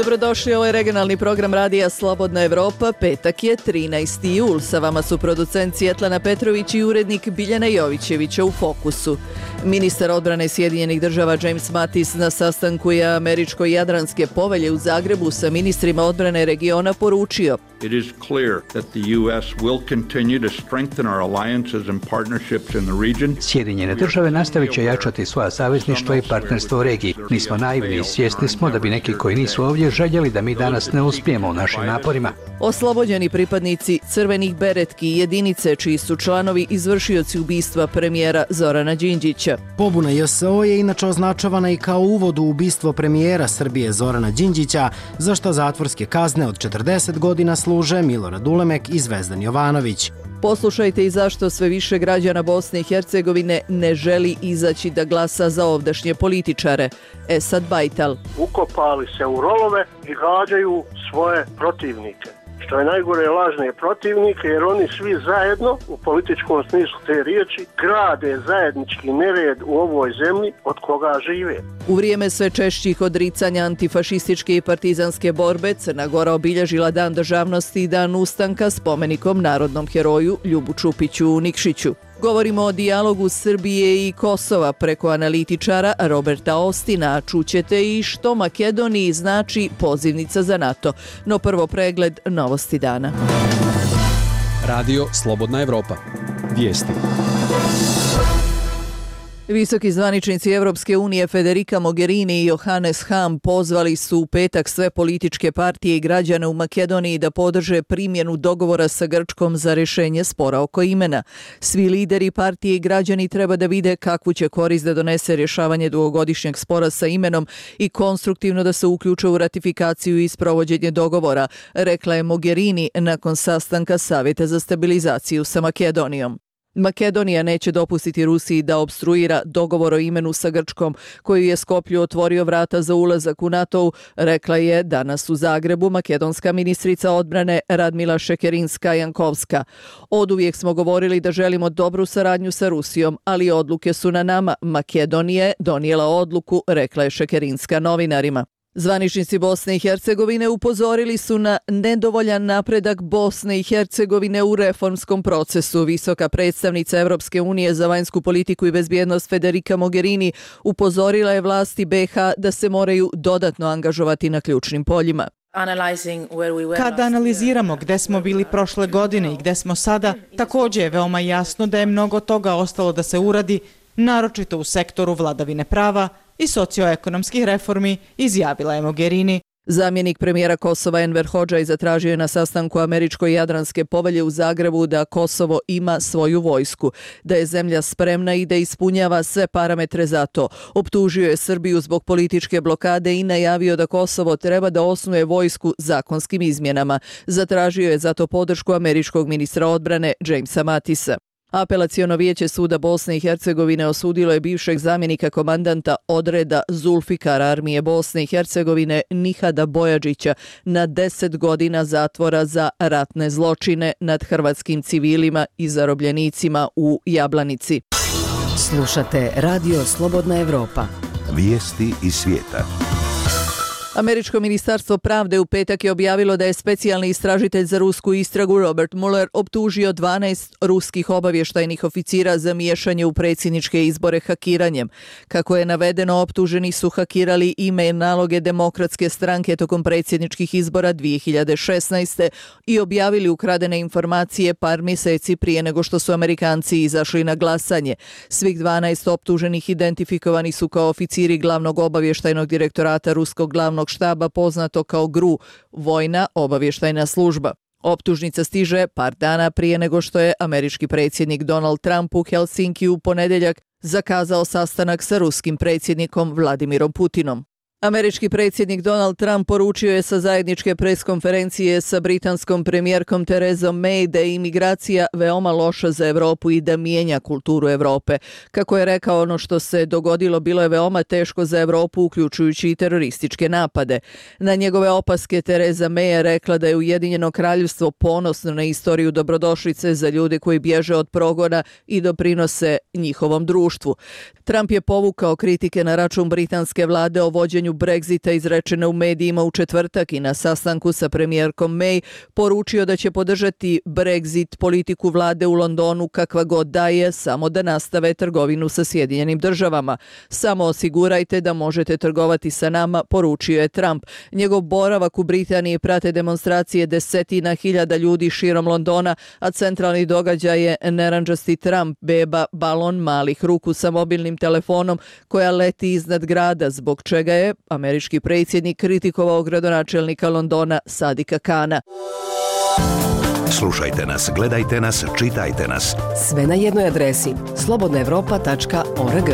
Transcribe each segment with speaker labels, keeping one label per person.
Speaker 1: Dobrodošli, ovo je regionalni program radija Slobodna Evropa. Petak je 13. jul. Sa vama su producent Svjetlana Petrović i urednik Biljana Jovićevića u Fokusu. Ministar odbrane Sjedinjenih država James Mattis na sastanku je Američko-Jadranske povelje u Zagrebu sa ministrima odbrane regiona poručio:
Speaker 2: It is clear that the U.S. will continue to strengthen our alliances and partnerships in the region.
Speaker 3: Sjedinjene države nastavit će jačati svoja savezništva i partnerstvo u regiji. Nismo naivni i svjesni smo da bi neki koji nisu ovdje željeli da mi danas ne uspijemo u našim naporima.
Speaker 1: Oslobođeni pripadnici crvenih beretki i jedinice čiji su članovi izvršioci ubistva premijera Zorana Đinđića.
Speaker 4: Pobuna JSO je inače označavana i kao uvod u ubistvo premijera Srbije Zorana Đinđića, za što zatvorske kazne od 40 godina služe Milorad Ulemek i Zvezdan Jovanović.
Speaker 1: Poslušajte i zašto sve više građana Bosne i Hercegovine ne želi izaći da glasa za ovdašnje političare. Esad Bajtal.
Speaker 5: Ukopali se u rovove i gađaju svoje protivnike. Što je najgore, lažne protivnike, jer oni svi zajedno, u političkom smislu te riječi, grade zajednički nered u ovoj zemlji od koga žive.
Speaker 1: U vrijeme sve češćih odricanja antifašističke i partizanske borbe, Crna Gora obilježila Dan državnosti i Dan ustanka spomenikom narodnom heroju Ljubu Čupiću u Nikšiću. Govorimo o dijalogu Srbije i Kosova preko analitičara Roberta Ostina. Čućete i što Makedoniji znači pozivnica za NATO. No prvo pregled novosti dana.
Speaker 6: Radio Slobodna Evropa. Vijesti.
Speaker 1: Visoki zvaničnici Evropske unije Federica Mogherini i Johannes Hahn pozvali su u petak sve političke partije i građane u Makedoniji da podrže primjenu dogovora sa Grčkom za rješenje spora oko imena. Svi lideri partije i građani treba da vide kakvu će korist da donese rješavanje dugogodišnjeg spora sa imenom i konstruktivno da se uključe u ratifikaciju i sprovođenje dogovora, rekla je Mogherini nakon sastanka Savjeta za stabilizaciju sa Makedonijom. Makedonija neće dopustiti Rusiji da opstruira dogovor o imenu sa Grčkom, koju je Skoplju otvorio vrata za ulazak u NATO, rekla je danas u Zagrebu makedonska ministrica odbrane Radmila Šekerinska-Jankovska. Oduvijek smo govorili da želimo dobru saradnju sa Rusijom, ali odluke su na nama. Makedonija je donijela odluku, rekla je Šekerinska novinarima. Zvaničnici Bosne i Hercegovine upozorili su na nedovoljan napredak Bosne i Hercegovine u reformskom procesu. Visoka predstavnica Evropske unije za vanjsku politiku i bezbjednost Federica Mogherini upozorila je vlasti BiH da se moraju dodatno angažovati na ključnim poljima.
Speaker 7: Kada analiziramo gde smo bili prošle godine i gde smo sada, također je veoma jasno da je mnogo toga ostalo da se uradi, naročito u sektoru vladavine prava i socioekonomskih reformi, izjavila je Mogherini.
Speaker 1: Zamjenik premijera Kosova Enver Hodžaj zatražio je na sastanku Američko-Jadranske povelje u Zagrebu da Kosovo ima svoju vojsku, da je zemlja spremna i da ispunjava sve parametre za to. Optužio je Srbiju zbog političke blokade i najavio da Kosovo treba da osnuje vojsku zakonskim izmjenama. Zatražio je zato podršku američkog ministra odbrane Jamesa Mattisa. Apelaciono vijeće suda Bosne i Hercegovine osudilo je bivšeg zamjenika komandanta odreda Zulfikara armije Bosne i Hercegovine Nihada Bojađića na 10 godina zatvora za ratne zločine nad hrvatskim civilima i zarobljenicima u Jablanici.
Speaker 8: Slušate Radio Slobodna Evropa.
Speaker 9: Vijesti iz svijeta.
Speaker 1: Američko ministarstvo pravde u petak je objavilo da je specijalni istražitelj za rusku istragu Robert Mueller optužio 12 ruskih obavještajnih oficira za miješanje u predsjedničke izbore hakiranjem. Kako je navedeno, optuženi su hakirali e-mail naloge Demokratske stranke tokom predsjedničkih izbora 2016. i objavili ukradene informacije par mjeseci prije nego što su Amerikanci izašli na glasanje. Svih 12 optuženih identifikovani su kao oficiri glavnog obavještajnog direktorata ruskog glavnog štaba poznato kao GRU, vojna obavještajna služba. Optužnica stiže par dana prije nego što je američki predsjednik Donald Trump u Helsinkiju u ponedjeljak zakazao sastanak sa ruskim predsjednikom Vladimirom Putinom. Američki predsjednik Donald Trump poručio je sa zajedničke preskonferencije sa britanskom premijerkom Terezom May da je imigracija veoma loša za Europu i da mijenja kulturu Europe. Kako je rekao, ono što se dogodilo bilo je veoma teško za Europu, uključujući i terorističke napade. Na njegove opaske Tereza May je rekla da je Ujedinjeno kraljevstvo ponosno na istoriju dobrodošlice za ljude koji bježe od progona i doprinose njihovom društvu. Trump je povukao kritike na račun britanske vlade o vođenju Brexita izrečene u medijima u četvrtak i na sastanku sa premijerkom May poručio da će podržati Brexit politiku vlade u Londonu kakva god da je, samo da nastave trgovinu sa Sjedinjenim državama. Samo osigurajte da možete trgovati sa nama, poručio je Trump. Njegov boravak u Britaniji prate demonstracije desetina hiljada ljudi širom Londona, a centralni događaj je narandžasti Trump, beba, balon malih ruku sa mobilnim telefonom koja leti iznad grada, zbog čega je američki predsjednik kritikovao gradonačelnika Londona Sadika Kana.
Speaker 9: Slušajte nas, gledajte nas, čitajte nas.
Speaker 8: Sve na jednoj adresi slobodnaevropa.org.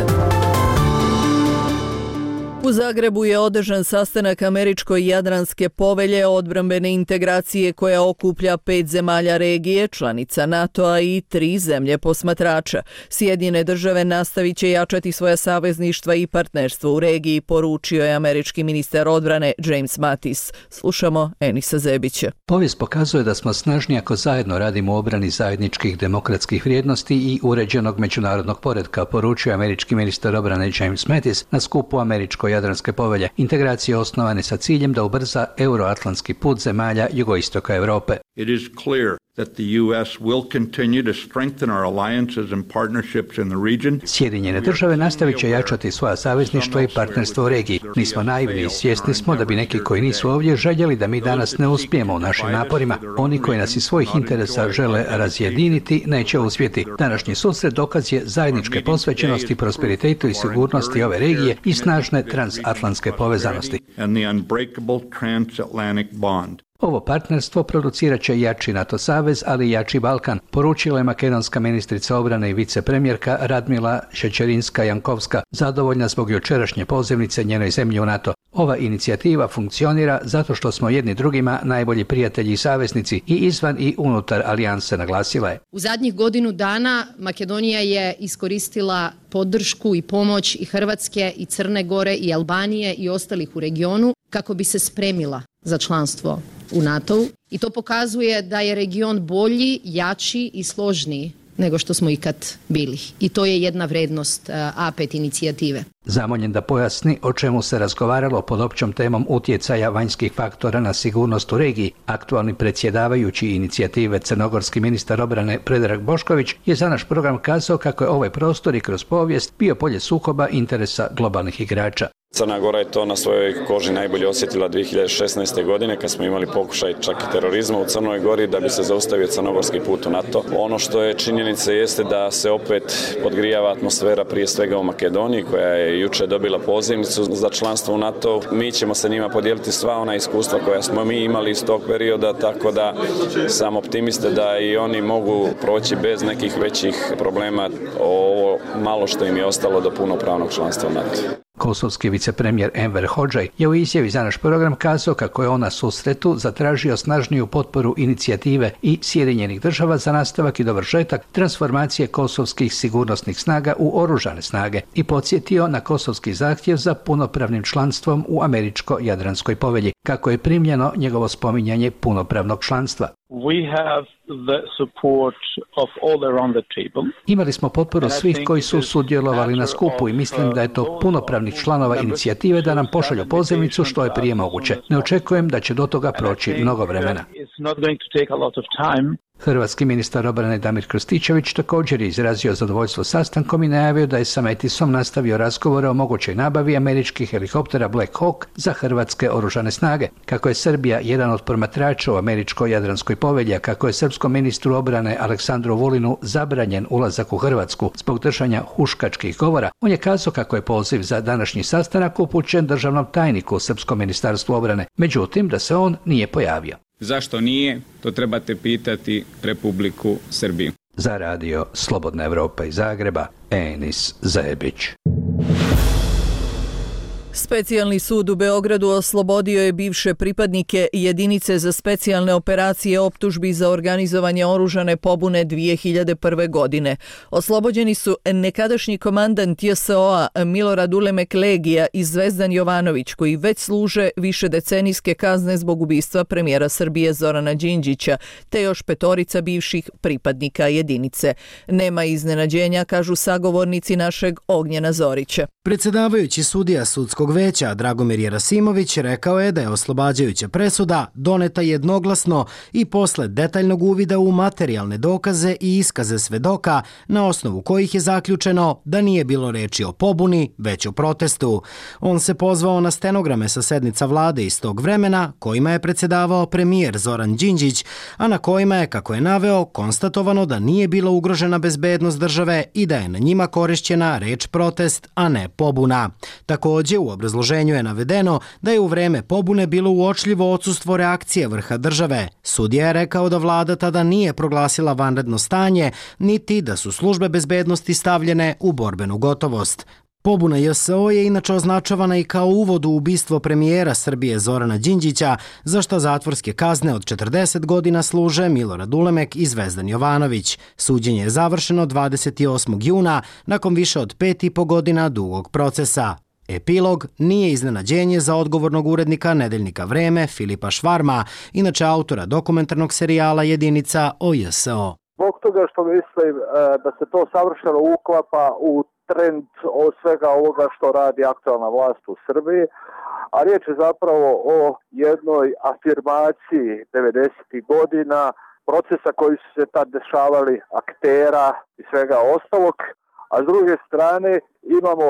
Speaker 1: U Zagrebu je održan sastanak Američko-Jadranske povelje odbrambene integracije koja okuplja 5 zemalja regije, članica NATO-a i 3 zemlje posmatrača. Sjedinjene države nastavit će jačati svoja savezništva i partnerstvo u regiji, poručio je američki ministar odbrane James Mattis. Slušamo Enisa Zebića.
Speaker 3: Povijest pokazuje da smo snažni ako zajedno radimo u obrani zajedničkih demokratskih vrijednosti i uređenog međunarodnog poretka, poručio je američki ministar odbrane James Mattis na skupu Američko-Jadranske povelje. Integracije osnovane sa ciljem da ubrza euroatlantski put zemalja jugoistoka Europe.
Speaker 2: It is clear that the U.S. will continue to strengthen our alliances and partnerships in the region.
Speaker 3: Sjedinjene države nastavit će jačati svoja savezništva i partnerstvo u regiji. Nismo naivni i svjesni smo da bi neki koji nisu ovdje željeli da mi danas ne uspijemo u našim naporima. Oni koji nas iz svojih interesa žele razjediniti neće uspjeti. Današnji susret dokaz je zajedničke posvećenosti, prosperitetu i sigurnosti ove regije i snažne transatlantske povezanosti. Ovo partnerstvo producirat će jači NATO savez, ali i jači Balkan, poručila je makedonska ministrica obrane i vicepremjerka Radmila Šećerinska-Jankovska, zadovoljna zbog jučerašnje pozivnice njenoj zemlji u NATO. Ova inicijativa funkcionira zato što smo jedni drugima najbolji prijatelji i saveznici i izvan i unutar alijanse, naglasila je.
Speaker 10: U zadnjih godinu dana Makedonija je iskoristila podršku i pomoć i Hrvatske i Crne Gore i Albanije i ostalih u regionu kako bi se spremila za članstvo u NATO-u i to pokazuje da je region bolji, jači i složniji nego što smo ikad bili. I to je jedna vrednost A5 inicijative.
Speaker 3: Zamoljen da pojasni o čemu se razgovaralo pod općom temom utjecaja vanjskih faktora na sigurnost u regiji, aktualni predsjedavajući inicijative crnogorski ministar obrane Predrag Bošković je za naš program kazao kako je ovaj prostor i kroz povijest bio polje sukoba interesa globalnih igrača.
Speaker 11: Crna Gora je to na svojoj koži najbolje osjetila 2016. godine kad smo imali pokušaj čak i terorizma u Crnoj Gori da bi se zaustavio crnogorski put u NATO. Ono što je činjenica jeste da se opet podgrijava atmosfera prije svega u Makedoniji koja je jučer dobila pozivnicu za članstvo u NATO. Mi ćemo sa njima podijeliti sva ona iskustva koja smo mi imali iz tog perioda, tako da sam optimista da i oni mogu proći bez nekih većih problema ovo malo što im je ostalo do punopravnog članstva u NATO.
Speaker 3: Kosovski vicepremjer Enver Hodžaj je u izjavi za naš program kazao kako je on na susretu zatražio snažniju potporu inicijative i Sjedinjenih država za nastavak i dovršetak transformacije kosovskih sigurnosnih snaga u oružane snage i podsjetio na kosovski zahtjev za punopravnim članstvom u Američko-Jadranskoj povelji, kako je primljeno njegovo spominjanje punopravnog članstva. Imali smo potporu svih koji su sudjelovali na skupu i mislim da je to punopravnih članova inicijative da nam pošalju pozivnicu što je prije moguće. Ne očekujem da će do toga proći mnogo vremena. Hrvatski ministar obrane Damir Krstičević također je izrazio zadovoljstvo sastankom i najavio da je sa Mattisom nastavio razgovore o mogućoj nabavi američkih helikoptera Black Hawk za hrvatske oružane snage. Kako je Srbija jedan od promatrača u Američko-Jadranskoj povelji, kako je srpskom ministru obrane Aleksandru Vulinu zabranjen ulazak u Hrvatsku zbog držanja huškačkih govora, on je kazao kako je poziv za današnji sastanak upućen državnom tajniku u Srpskom ministarstvu obrane, međutim da se on nije pojavio.
Speaker 12: Zašto nije? To trebate pitati Republiku Srbiju.
Speaker 3: Za radio Slobodna Evropa iz Zagreba, Enis Zebić.
Speaker 1: Specijalni sud u Beogradu oslobodio je bivše pripadnike jedinice za specijalne operacije optužbi za organizovanje oružane pobune 2001. godine. Oslobođeni su nekadašnji komandant JSO-a Milorad Ulemek Legija i Zvezdan Jovanović, koji već služe višedecenijske kazne zbog ubistva premijera Srbije Zorana Đinđića, te još 5 bivših pripadnika jedinice. Nema iznenađenja, kažu sagovornici našeg Ognjena Zorića.
Speaker 4: Predsjedavajući sudija sudskog sudskog veća Dragomir Jerasimović rekao je da je oslobađajuća presuda doneta jednoglasno i posle detaljnog uvida u materijalne dokaze i iskaze svedoka, na osnovu kojih je zaključeno da nije bilo reči o pobuni, već o protestu. On se pozvao na stenograme sa sednica vlade iz tog vremena, kojima je predsjedavao premijer Zoran Đinđić, a na kojima je, kako je naveo, konstatovano da nije bila ugrožena bezbednost države i da je na njima korišćena reč protest, a ne pobuna. Također, u obrazloženju je navedeno da je u vreme pobune bilo uočljivo odsustvo reakcije vrha države. Sudija je rekao da vlada tada nije proglasila vanredno stanje, niti da su službe bezbednosti stavljene u borbenu gotovost. Pobuna JSO je inače označavana i kao uvod u ubistvo premijera Srbije Zorana Đinđića, za što zatvorske kazne od 40 godina služe Milorad Ulemek i Zvezdan Jovanović. Suđenje je završeno 28. juna, nakon više od 5,5 godina dugog procesa. Epilog nije iznenađenje za odgovornog urednika nedeljnika Vreme Filipa Švarma, inače autora dokumentarnog serijala Jedinica o JSO.
Speaker 13: Zbog toga što mislim da se to savršeno uklapa u trend od svega ovoga što radi aktualna vlast u Srbiji, a riječ je zapravo o jednoj afirmaciji 90. godina, procesa koji su se tad dešavali, aktera i svega ostalog, a s druge strane imamo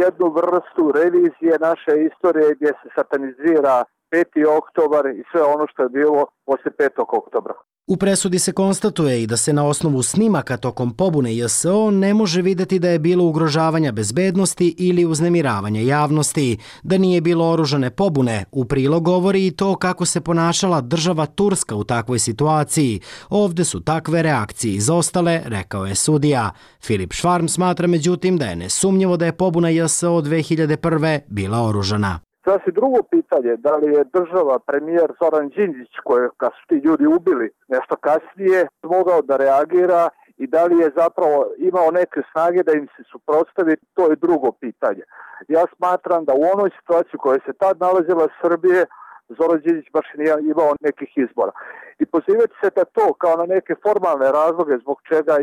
Speaker 13: jednu vrstu revizije naše istorije gdje se satanizira 5. oktobar i sve ono što je bilo poslije 5. oktobra.
Speaker 4: U presudi se konstatuje i da se na osnovu snimaka tokom pobune JSO ne može vidjeti da je bilo ugrožavanja bezbednosti ili uznemiravanja javnosti, da nije bilo oružane pobune. U prilog govori i to kako se ponašala država Turska u takvoj situaciji. Ovdje su takve reakcije izostale, rekao je sudija. Filip Švarm smatra međutim da je nesumnjivo da je pobuna JSO 2001. bila oružana.
Speaker 13: Sasvim drugo pitanje, da li je država, premijer Zoran Đinđić, kad su ti ljudi ubili nešto kasnije, mogao da reagira i da li je zapravo imao neke snage da im se suprotstavi, to je drugo pitanje. Ja smatram da u onoj situaciji u kojoj se tad nalazila Srbije, Zoran Đinđić baš nije imao nekih izbora. I pozivati se da to kao na neke formalne razloge zbog čega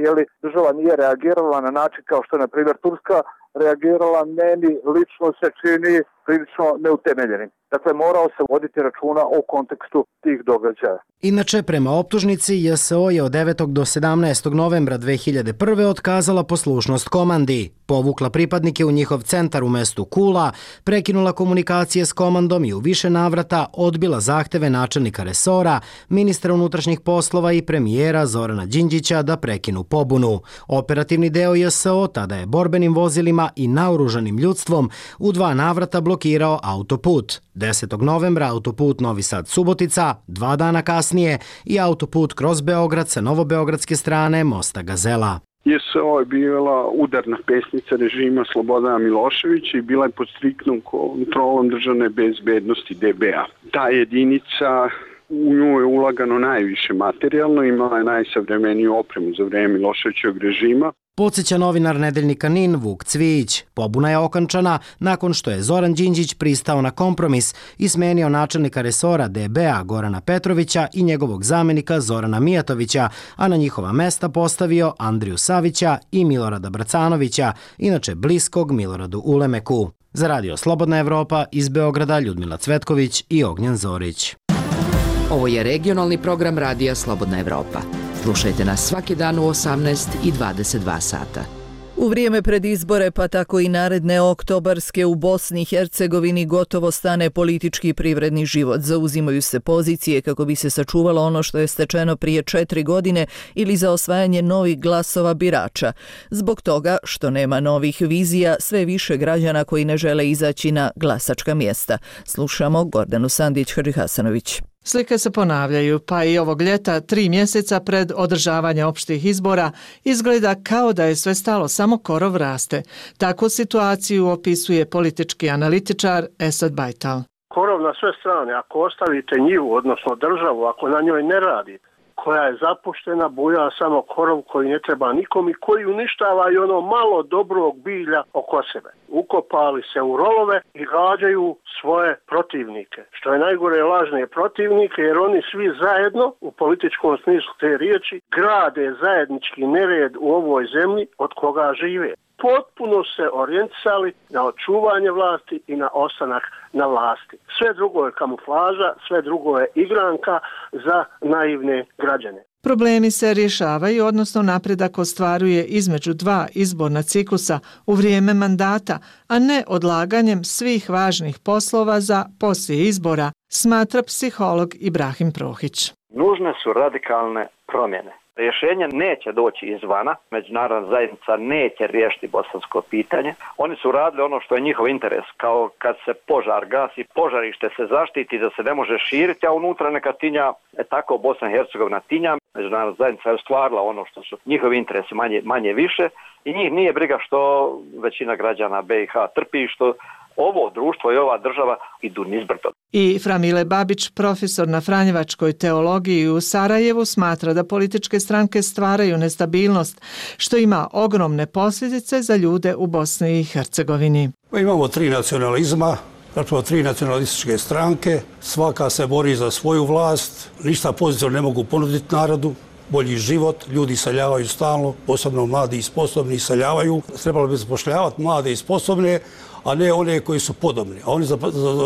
Speaker 13: država nije reagirala na način kao što je, na primjer, Turska reagirala, meni lično se čini prilično neutemeljenim. Dakle, morao se voditi računa o kontekstu tih događaja.
Speaker 4: Inače, prema optužnici, JSO je od 9. do 17. novembra 2001. otkazala poslušnost komandi, povukla pripadnike u njihov centar u mestu Kula, prekinula komunikacije s komandom i u više navrata odbila zahteve načelnika resora, ministra unutrašnjih poslova i premijera Zorana Đinđića da prekinu pobunu. Operativni deo JSO tada je borbenim vozilima i naoružanim ljudstvom u 2 navrata blokirao autoput. 10. novembra autoput Novi Sad-Subotica, 2 dana kasnije i autoput kroz Beograd sa novobeogradske strane mosta Gazela.
Speaker 14: JSO je bila udarna pesnica režima Slobodana Miloševića i bila je pod striktnom kontrolom državne bezbednosti DB-a. Ta jedinica, u nju je ulagano najviše materijalno, imala je najsavremeniju opremu za vreme Miloševićevog režima.
Speaker 4: Podsjeća novinar nedeljnika NIN Vuk Cvijić. Pobuna je okončana nakon što je Zoran Đinđić pristao na kompromis i smenio načelnika resora DB-a Gorana Petrovića i njegovog zamenika Zorana Mijatovića, a na njihova mesta postavio Andriju Savića i Milorada Bracanovića, inače bliskog Miloradu Ulemeku. Za radio Slobodna Evropa iz Beograda Ljudmila Cvetković i Ognjen Zorić.
Speaker 8: Ovo je regionalni program radija Slobodna Evropa. Slušajte nas svaki dan u 18 i 22 sata.
Speaker 1: U vrijeme pred izbore, pa tako i naredne oktobarske, u Bosni i Hercegovini gotovo stane politički i privredni život. Zauzimaju se pozicije kako bi se sačuvalo ono što je stečeno prije 4 godine ili za osvajanje novih glasova birača. Zbog toga što nema novih vizija, sve više građana koji ne žele izaći na glasačka mjesta. Slušamo Gordanu Sandić-Hadžihasanović.
Speaker 15: Slike se ponavljaju, pa i ovog ljeta, 3 mjeseca pred održavanje opštih izbora, izgleda kao da je sve stalo, samo korov raste. Takvu situaciju opisuje politički analitičar Esad Bajtal.
Speaker 5: Korov na sve strane, ako ostavite njivu, odnosno državu, ako na njoj ne radite, koja je zapuštena, buja samo korov koji ne treba nikom i koji uništava i ono malo dobrog bilja oko sebe. Ukopali se u rovove i gađaju svoje protivnike. Što je najgore, lažne protivnike, jer oni svi zajedno, u političkom smislu te riječi, grade zajednički nered u ovoj zemlji od koga žive. potpuno se orijentisali na očuvanje vlasti i na ostanak na vlasti. Sve drugo je kamuflaža, sve drugo je igranka za naivne građane.
Speaker 15: Problemi se rješavaju, odnosno napredak ostvaruje između dva izborna ciklusa u vrijeme mandata, a ne odlaganjem svih važnih poslova za poslije izbora, smatra psiholog Ibrahim Prohić.
Speaker 16: Nužne su radikalne promjene. Rješenje neće doći izvana, međunarodna zajednica neće riješiti bosansko pitanje. Oni su radili ono što je njihov interes, kao kad se požar gasi, požarište se zaštiti da se ne može širiti, a unutra neka tinja, tako Bosna i Hercegovina tinja. Međunarodna zajednica je ostvarila ono što su njihovi interesi manje više i njih nije briga što većina građana BiH trpi, što ovo društvo i ova država idu nizbrdo.
Speaker 15: I Framile Babić, profesor na Franjevačkoj teologiji u Sarajevu, smatra da političke stranke stvaraju nestabilnost, što ima ogromne posljedice za ljude u Bosni i Hercegovini.
Speaker 17: Imamo 3 nacionalizma, zapravo 3 nacionalističke stranke, svaka se bori za svoju vlast, ništa pozitivno ne mogu ponuditi narodu, bolji život, ljudi iseljavaju stalno, posebno mladi i sposobni iseljavaju. Trebalo bi zapošljavati mlade i sposobne, a ne one koji su podobni. A oni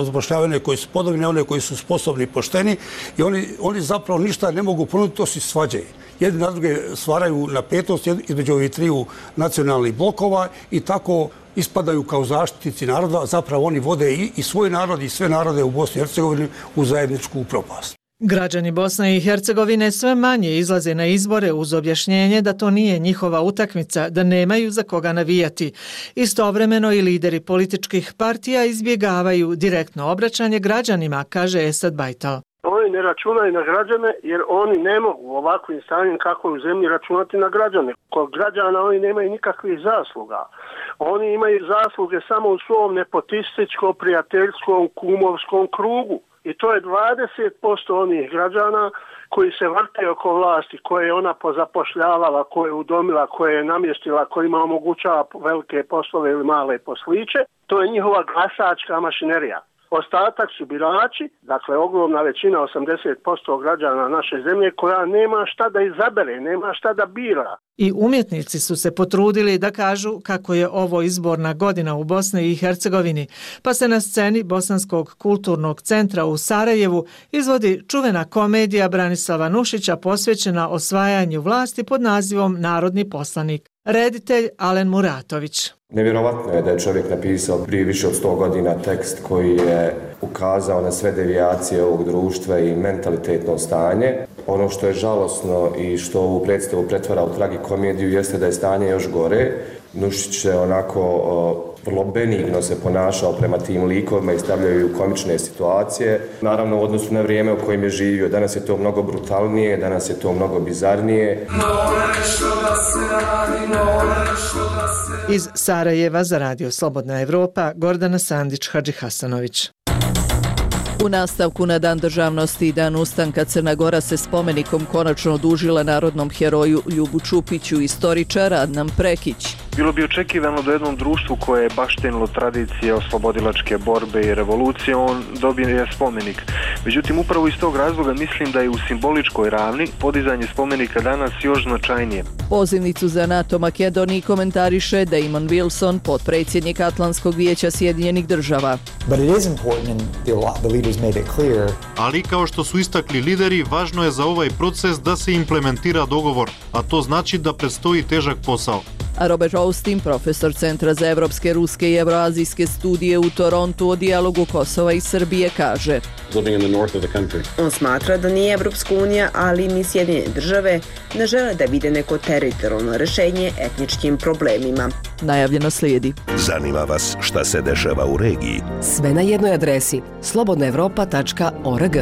Speaker 17: zapošljavaju one koji su podobni, ne one koji su sposobni i pošteni i oni zapravo ništa ne mogu ponuditi osim svađe. Jedni na druge stvaraju napetost između ovih 3 nacionalnih blokova i tako ispadaju kao zaštitnici naroda, a zapravo oni vode i svoj narod i sve narode u Bosni i Hercegovini u zajedničku propast.
Speaker 15: Građani Bosne i Hercegovine sve manje izlaze na izbore uz objašnjenje da to nije njihova utakmica, da nemaju za koga navijati. Istovremeno i lideri političkih partija izbjegavaju direktno obraćanje građanima, kaže Esad Bajtal.
Speaker 5: Oni ne računaju na građane jer oni ne mogu ovakvim stanjem kako u zemlji računati na građane. Kod građana oni nemaju nikakvih zasluga. Oni imaju zasluge samo u svom nepotističkom, prijateljskom, kumovskom krugu. I to je 20% onih građana koji se vrte oko vlasti, koje je ona pozapošljavala, koje je udomila, koje je namjestila, kojima omogućava velike poslove ili male posliće. To je njihova glasačka mašinerija. Ostatak su birači, dakle ogromna većina, 80% građana naše zemlje, koja nema šta da izabere, nema šta da bira.
Speaker 15: I umjetnici su se potrudili da kažu kako je ovo izborna godina u Bosni i Hercegovini, pa se na sceni Bosanskog kulturnog centra u Sarajevu izvodi čuvena komedija Branislava Nušića posvećena osvajanju vlasti pod nazivom Narodni poslanik. Reditelj Alen Muratović.
Speaker 18: Nevjerovatno je da je čovjek napisao prije više od 100 godina tekst koji je ukazao na sve devijacije ovog društva i mentalitetno stanje. Ono što je žalosno i što ovu predstavu pretvara u tragikomediju jeste da je stanje još gore. Nušić je onako vrlo benigno se ponašao prema tim likovima i stavljaju u komične situacije. Naravno u odnosu na vrijeme u kojem je živio. Danas je to mnogo brutalnije, danas je to mnogo bizarnije.
Speaker 15: Iz Sarajeva za Radio Slobodna Evropa, Gordana Sandić, Hadži Hasanović.
Speaker 1: U nastavku na Dan državnosti i Dan ustanka Crna Gora se spomenikom konačno odužila narodnom heroju Ljubu Čupiću, istoričar Adnan Prekić.
Speaker 19: Bilo bi očekivano da jednom društvu koje je baštenilo tradicije oslobodilačke borbe i revolucije, on dobije spomenik. Međutim, upravo iz tog razloga mislim da je u simboličkoj ravni podizanje spomenika danas još značajnije.
Speaker 1: Pozivnicu za NATO Makedoniji komentariše Damon Wilson, potpredsjednik Atlantskog vijeća Sjedinjenih država.
Speaker 20: Ali kao što su istakli lideri, važno je za ovaj proces da se implementira dogovor, a to znači da predstoji težak posao.
Speaker 1: A Robert Austin, profesor Centra za evropske, ruske i evroazijske studije u Torontu o dijalogu Kosova i Srbije, kaže:
Speaker 21: On smatra da nije Evropska unija, ali ni Sjedinjene države ne žele da vide neko teritorijalno rešenje etničkim problemima.
Speaker 1: Najavljeno slijedi.
Speaker 9: Zanima vas šta se dešava u regiji?
Speaker 22: Sve na jednoj adresi slobodnaevropa.org.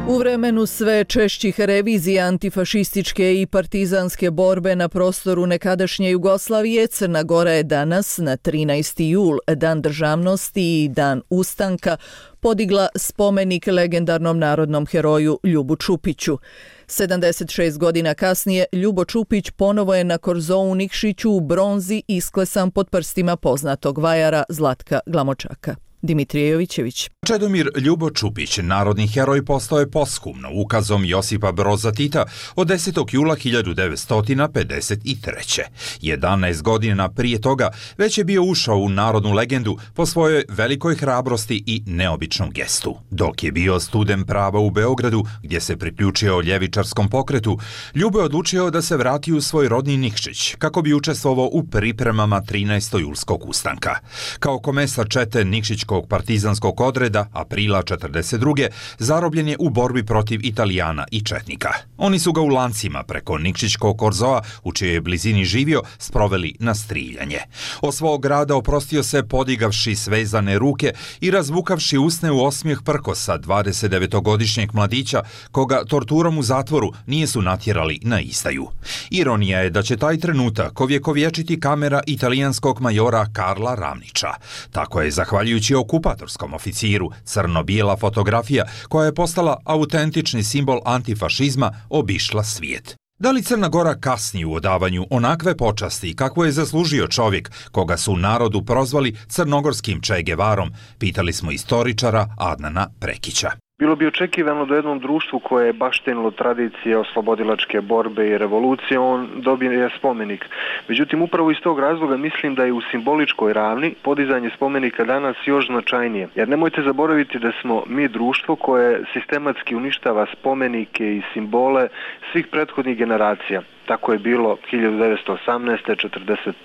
Speaker 1: U vremenu sve češćih revizija antifašističke i partizanske borbe na prostoru nekadašnje Jugoslavije, Crna Gora je danas, na 13. jul, Dan državnosti i Dan ustanka, podigla spomenik legendarnom narodnom heroju Ljubu Čupiću. 76 godina kasnije Ljubo Čupić ponovo je na korzou u Nikšiću u bronzi isklesan pod prstima poznatog vajara Zlatka Glamočaka. Dimitrije Jovićević.
Speaker 6: Čedomir Ljubo Čupić, narodni heroj, postao je posthumno ukazom Josipa Broza Tita od 10. jula 1953. 11 godina prije toga već je bio ušao u narodnu legendu po svojoj velikoj hrabrosti i neobičnom gestu. Dok je bio student prava u Beogradu, gdje se priključio ljevičarskom pokretu, Ljubo je odlučio da se vrati u svoj rodni Nikšić kako bi učestvovao u pripremama 13. julskog ustanka. Kao komesar čete Nikšićkog partizanskog odreda aprila 1942. zarobljen je u borbi protiv Italijana i četnika. Oni su ga u lancima preko Nikšićkog korzoa, u čijoj blizini živio, sproveli na striljanje. Od svog grada oprostio se podigavši svezane ruke i razvukavši usne u osmijeh prkosa 29-godišnjeg mladića, koga torturom u zatvoru nijesu natjerali na izdaju. Ironija je da će taj trenutak ovjekovječiti kamera italijanskog majora Karla Ramnića. Tako je, zahvaljujući okupatorskom oficiru, crno-bijela fotografija koja je postala autentični simbol antifašizma obišla svijet. Da li Crna Gora kasni u odavanju onakve počasti kako je zaslužio čovjek koga su u narodu prozvali crnogorskim Che Guevarom, pitali smo istoričara Adnana Prekića.
Speaker 19: Bilo bi očekivano da jednom društvu koje je baštenilo tradicije oslobodilačke borbe i revolucije, on dobije spomenik. Međutim, upravo iz tog razloga mislim da je u simboličkoj ravni podizanje spomenika danas još značajnije. Jer nemojte zaboraviti da smo mi društvo koje sistematski uništava spomenike i simbole svih prethodnih generacija. Tako je bilo 1918.,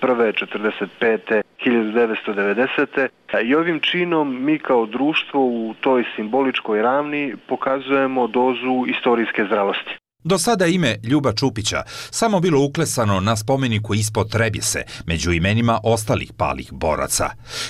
Speaker 19: 1941., 1945., 1990. I ovim činom mi kao društvo u toj simboličkoj ravni pokazujemo dozu istorijske zrelosti.
Speaker 6: Do sada ime Ljuba Čupića samo bilo uklesano na spomeniku ispod Trebjese, među imenima ostalih palih boraca.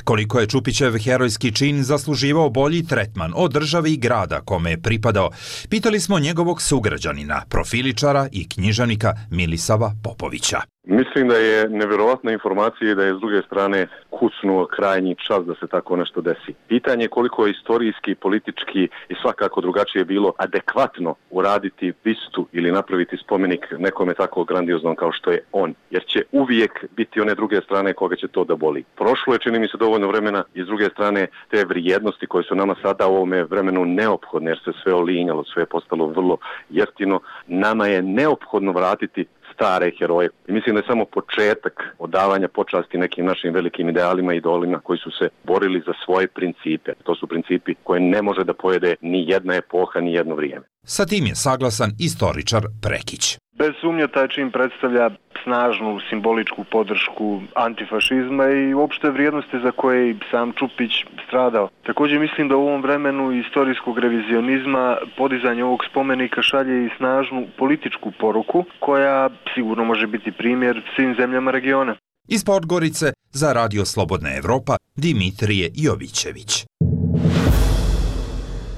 Speaker 6: Koliko je Čupićev herojski čin zasluživao bolji tretman od države i grada kome je pripadao, pitali smo njegovog sugrađanina, profiličara i književnika Milisava Popovića.
Speaker 7: Mislim da je nevjerovatna informacija i da je s druge strane kucnuo krajnji čas da se tako nešto desi. Pitanje je koliko je istorijski, politički i svakako drugačije bilo adekvatno uraditi bistu ili napraviti spomenik nekome tako grandioznom kao što je on. Jer će uvijek biti one druge strane koga će to da boli. Prošlo je, čini mi se, dovoljno vremena i s druge strane te vrijednosti koje su nama sada u ovome vremenu neophodne jer se sve olinjalo, sve je postalo vrlo jeftino. Nama je neophodno vratiti stare heroje. I mislim da je samo početak odavanja počasti nekim našim velikim idealima i idolima koji su se borili za svoje principe. To su principi koje ne može da pojede ni jedna epoha, ni jedno vrijeme.
Speaker 6: Sa tim je saglasan istoričar Prekić.
Speaker 19: Bez sumnje taj čin predstavlja snažnu simboličku podršku antifašizma i uopšte vrijednosti za koje i sam Čupić stradao. Također mislim da u ovom vremenu istorijskog revizionizma podizanje ovog spomenika šalje i snažnu političku poruku koja sigurno može biti primjer svim zemljama regiona.
Speaker 6: Iz Podgorice za Radio Slobodna Evropa Dimitrije Jovićević.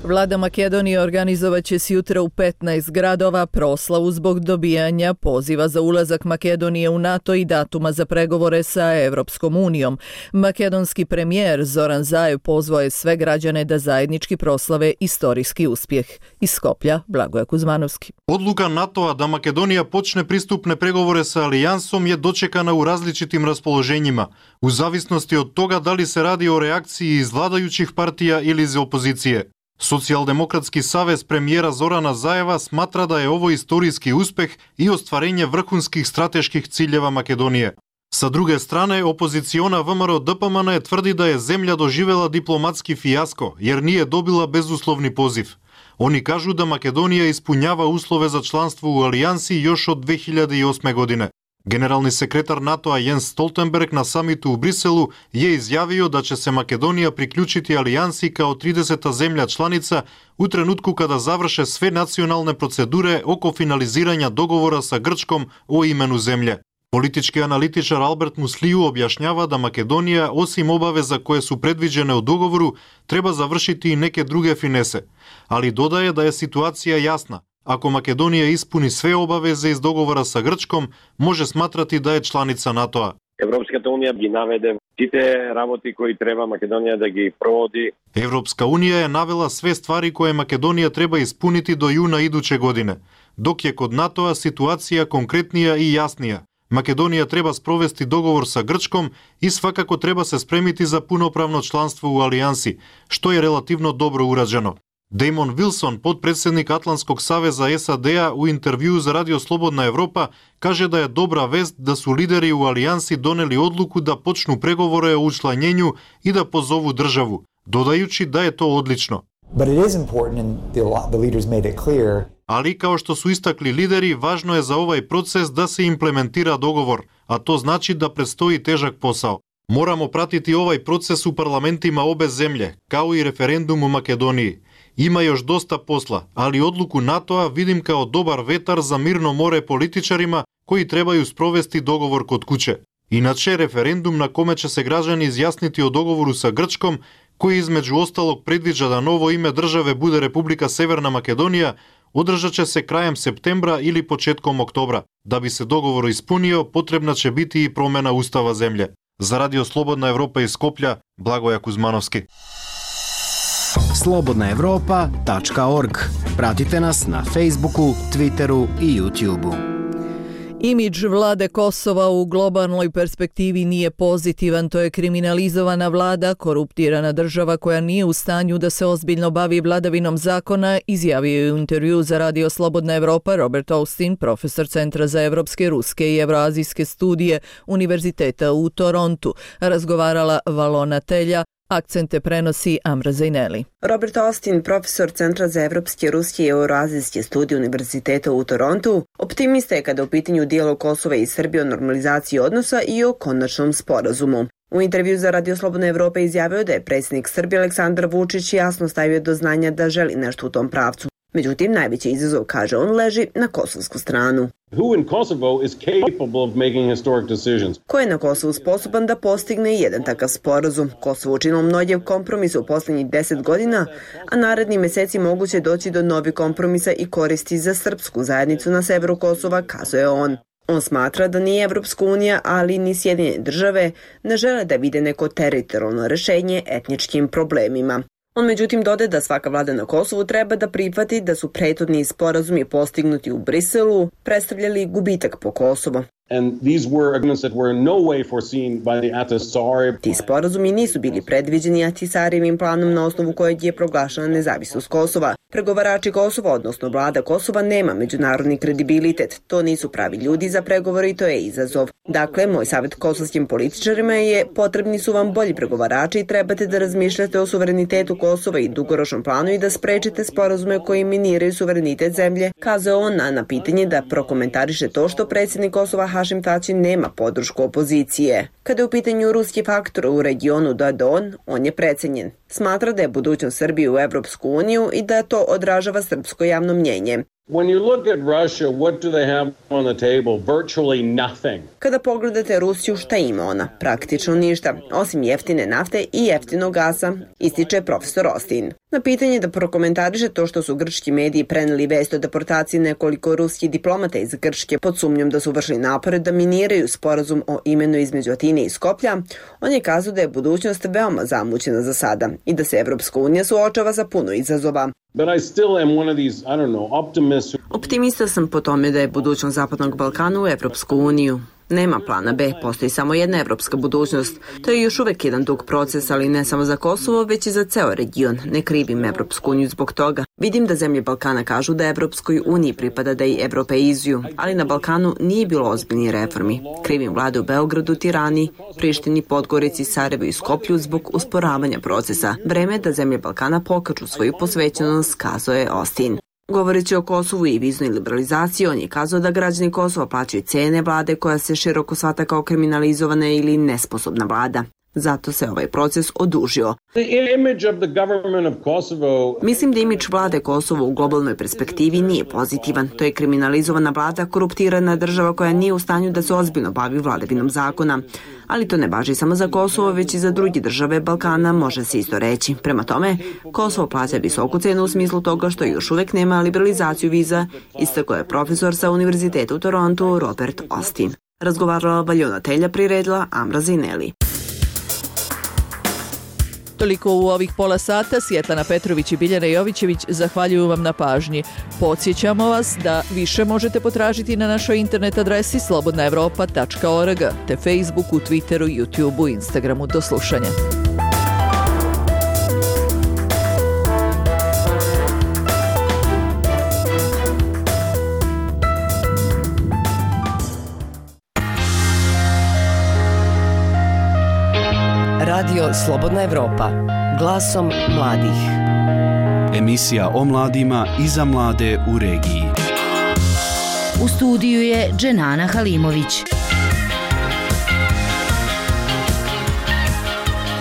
Speaker 1: Vlada Makedonije organizovat će sjutra u 15 gradova proslavu zbog dobijanja poziva za ulazak Makedonije u NATO i datuma za pregovore sa Evropskom unijom. Makedonski premijer Zoran Zaev pozvao je sve građane da zajednički proslave istorijski uspjeh. Iz Skoplja, Blagoje Kuzmanovski.
Speaker 20: Odluka NATO-a da Makedonija počne pristupne pregovore sa alijansom je dočekana u različitim raspoloženjima, u zavisnosti od toga da li se radi o reakciji iz vladajućih partija ili iz opozicije. Socijaldemokratski savez premijera Zorana Zajeva smatra da je ovo istorijski uspeh i ostvarenje vrhunskih strateških ciljeva Makedonije. Sa druge strane, opoziciona VMRO DPMN tvrdi da je zemlja doživjela diplomatski fijasko jer nije dobila bezuslovni poziv. Oni kažu da Makedonija ispunjava uslove za članstvo u alijansi još od 2008. godine. Generalni sekretar NATO-a Jens Stoltenberg na samitu u Briselu je izjavio da će se Makedonija priključiti alijansi kao 30. zemlja članica u trenutku kada završe sve nacionalne procedure oko finaliziranja dogovora sa Grčkom o imenu zemlje. Politički analitičar Albert Musliju objašnjava da Makedonija, osim obaveza koje su predviđene u dogovoru, treba završiti i neke druge finese, ali dodaje da je situacija jasna. Ako Makedonija ispuni sve obaveze iz dogovora sa Grčkom, može smatrati da je članica NATO-a.
Speaker 23: Evropska unija gi navede site работи koji treba Makedonija da gi provodi.
Speaker 20: Evropska unija je navela sve stvari koje Makedonija treba ispuniti do juna iduće godine, dok je kod NATO-a situacija konkretnija i jasnija. Македонија треба спровести договор са Грчком и свакако треба се спремити за пуноправно членство у алијанси, што е релативно добро ураđено. Деймон Вилсон, подпредседник Атлантског савеза САД-а, у интервју за Радио Слободна Европа, каже да е добра вест да су лидери у алијанси донели одлуку да почну преговори о учлањењу и да позову државу, додајучи да е тоа одлично. Ali, kao što su istakli lideri, važno je za ovaj proces da se implementira dogovor, a to znači da predstoji težak posao. Moramo pratiti ovaj proces u parlamentima obe zemlje, kao i referendum u Makedoniji. Ima još dosta posla, ali odluku NATO-a vidim kao dobar vetar za mirno more političarima koji trebaju sprovesti dogovor kod kuće. Inače, referendum na kome će se građani izjasniti o dogovoru sa Grčkom, koji između ostalog predviđa da novo ime države bude Republika Severna Makedonija, održat će se krajem septembra ili početkom oktobra. Da bi se dogovor ispunio, potrebna će biti i promjena ustava zemlje. Za Radio Slobodna Evropa iz Skoplja, Blagoja Kuzmanovski.
Speaker 4: slobodnaevropa.org. Pratite nas na Facebooku, Twitteru i YouTubeu.
Speaker 1: Imidž vlade Kosova u globalnoj perspektivi nije pozitivan, to je kriminalizovana vlada, koruptirana država koja nije u stanju da se ozbiljno bavi vladavinom zakona, izjavio je u intervju za Radio Slobodna Evropa Robert Austin, profesor Centra za evropske, ruske i evroazijske studije Univerziteta u Torontu. Razgovarala Valona Telja, akcente prenosi Amra Zajneli.
Speaker 21: Robert Austin, profesor Centra za evropske, ruske i euroazijske studije Univerziteta u Torontu, optimista je kada u pitanju dijalog Kosova i Srbije o normalizaciji odnosa i o konačnom sporazumu. U intervju za Radio Slobodna Evropa izjavio da je predsjednik Srbije Aleksandar Vučić jasno stavio do znanja da želi nešto u tom pravcu. Međutim, najveći izazov, kaže on, leži na kosovsku stranu. Ko je na Kosovu sposoban da postigne jedan takav sporazum? Kosovo učinilo mnoge kompromise u posljednjih 10 godina, a naredni meseci moguće doći do novih kompromisa i koristi za srpsku zajednicu na severu Kosova, kazuje on. On smatra da ni Evropska unija, ali ni Sjedinjene države ne žele da vide neko teritorijalno rešenje etničkim problemima. On međutim dodaje da svaka vlada na Kosovu treba da prihvati da su prethodni sporazumi postignuti u Briselu predstavljali gubitak po Kosovo. Ti sporazumi nisu bili predviđeni Ahtisarijevim planom na osnovu kojeg je proglašena nezavisnost Kosova. Pregovarači Kosova, odnosno vlada Kosova, nema međunarodni kredibilitet. To nisu pravi ljudi za pregovore i to je izazov. Dakle, moj savjet kosovskim političarima je: potrebni su vam bolji pregovarači i trebate da razmišljate o suverenitetu Kosova i dugoročnom planu i da sprečite sporazume koji miniraju suverenitet zemlje, kazao on na pitanje da prokomentariše to što predsjednik Kosova Hašim Tači nema podršku opozicije. Kada je u pitanju ruski faktor u regionu, on je precenjen. Smatra da je budućnost Srbije u Evropsku uniju i da to odražava srpsko javno mnjenje. Kada pogledate Rusiju, šta ima ona? Praktično ništa, osim jeftine nafte i jeftinog gasa, ističe profesor Austin. Na pitanje da prokomentariše to što su grčki mediji preneli vest o deportaciji nekoliko ruskih diplomata iz Grčke pod sumnjom da su vršili napore da miniraju sporazum o imenu između Atine i Skoplja, on je kazao da je budućnost veoma zamućena za sada i da se Evropska unija suočava sa puno izazova. Optimista sam po tome da je budućnost Zapadnog Balkana u Evropsku uniju. Nema plana B, postoji samo jedna evropska budućnost. To je još uvek jedan dug proces, ali ne samo za Kosovo, već i za ceo region. Ne krivim Evropsku uniju zbog toga. Vidim da zemlje Balkana kažu da Evropskoj uniji pripada da i evropeizuju, ali na Balkanu nije bilo ozbiljnih reformi. Krivim vlade u Beogradu, Tirani, Prištini, Podgorici, Sarajevu i Skoplju zbog usporavanja procesa. Vreme je da zemlje Balkana pokažu svoju posvećenost, kazao je Austin. Govoreći o Kosovu i viznoj liberalizaciji, on je kazao da građani Kosova plaćaju cene vlade koja se široko shvata kao kriminalizovana ili nesposobna vlada. Zato se ovaj proces odužio. Mislim da imidž vlade Kosova u globalnoj perspektivi nije pozitivan. To je kriminalizovana vlada, koruptirana država koja nije u stanju da se ozbiljno bavi vladavinom zakona. Ali to ne važi samo za Kosovo, već i za druge države Balkana, može se isto reći. Prema tome, Kosovo plaća visoku cenu u smislu toga što još uvek nema liberalizaciju viza, istakao je profesor sa Univerziteta u Torontu Robert Austin. Razgovarala Valona Telja, priredila Amra Zajneli.
Speaker 1: Toliko u ovih pola sata. Sjetlana Petrović i Biljana Jovićević zahvaljuju vam na pažnji. Podsjećamo vas da više možete potražiti na našoj internet adresi slobodnaevropa.org te Facebooku, Twitteru, YouTubeu, Instagramu. Do slušanja.
Speaker 22: Radio Slobodna Evropa. Glasom mladih.
Speaker 2: Emisija o mladima i za mlade u regiji.
Speaker 10: U studiju je Dženana Halimović.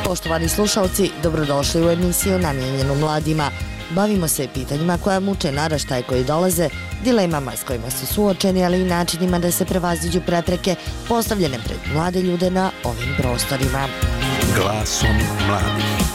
Speaker 11: Poštovani slušalci, dobrodošli u emisiju namijenjenu mladima. Bavimo se pitanjima koja muče naraštaje koji dolaze, dilemama s kojima su suočeni, ali i načinima da se prevaziđu prepreke postavljene pred mlade ljude na ovim prostorima.
Speaker 9: Glasom mladih.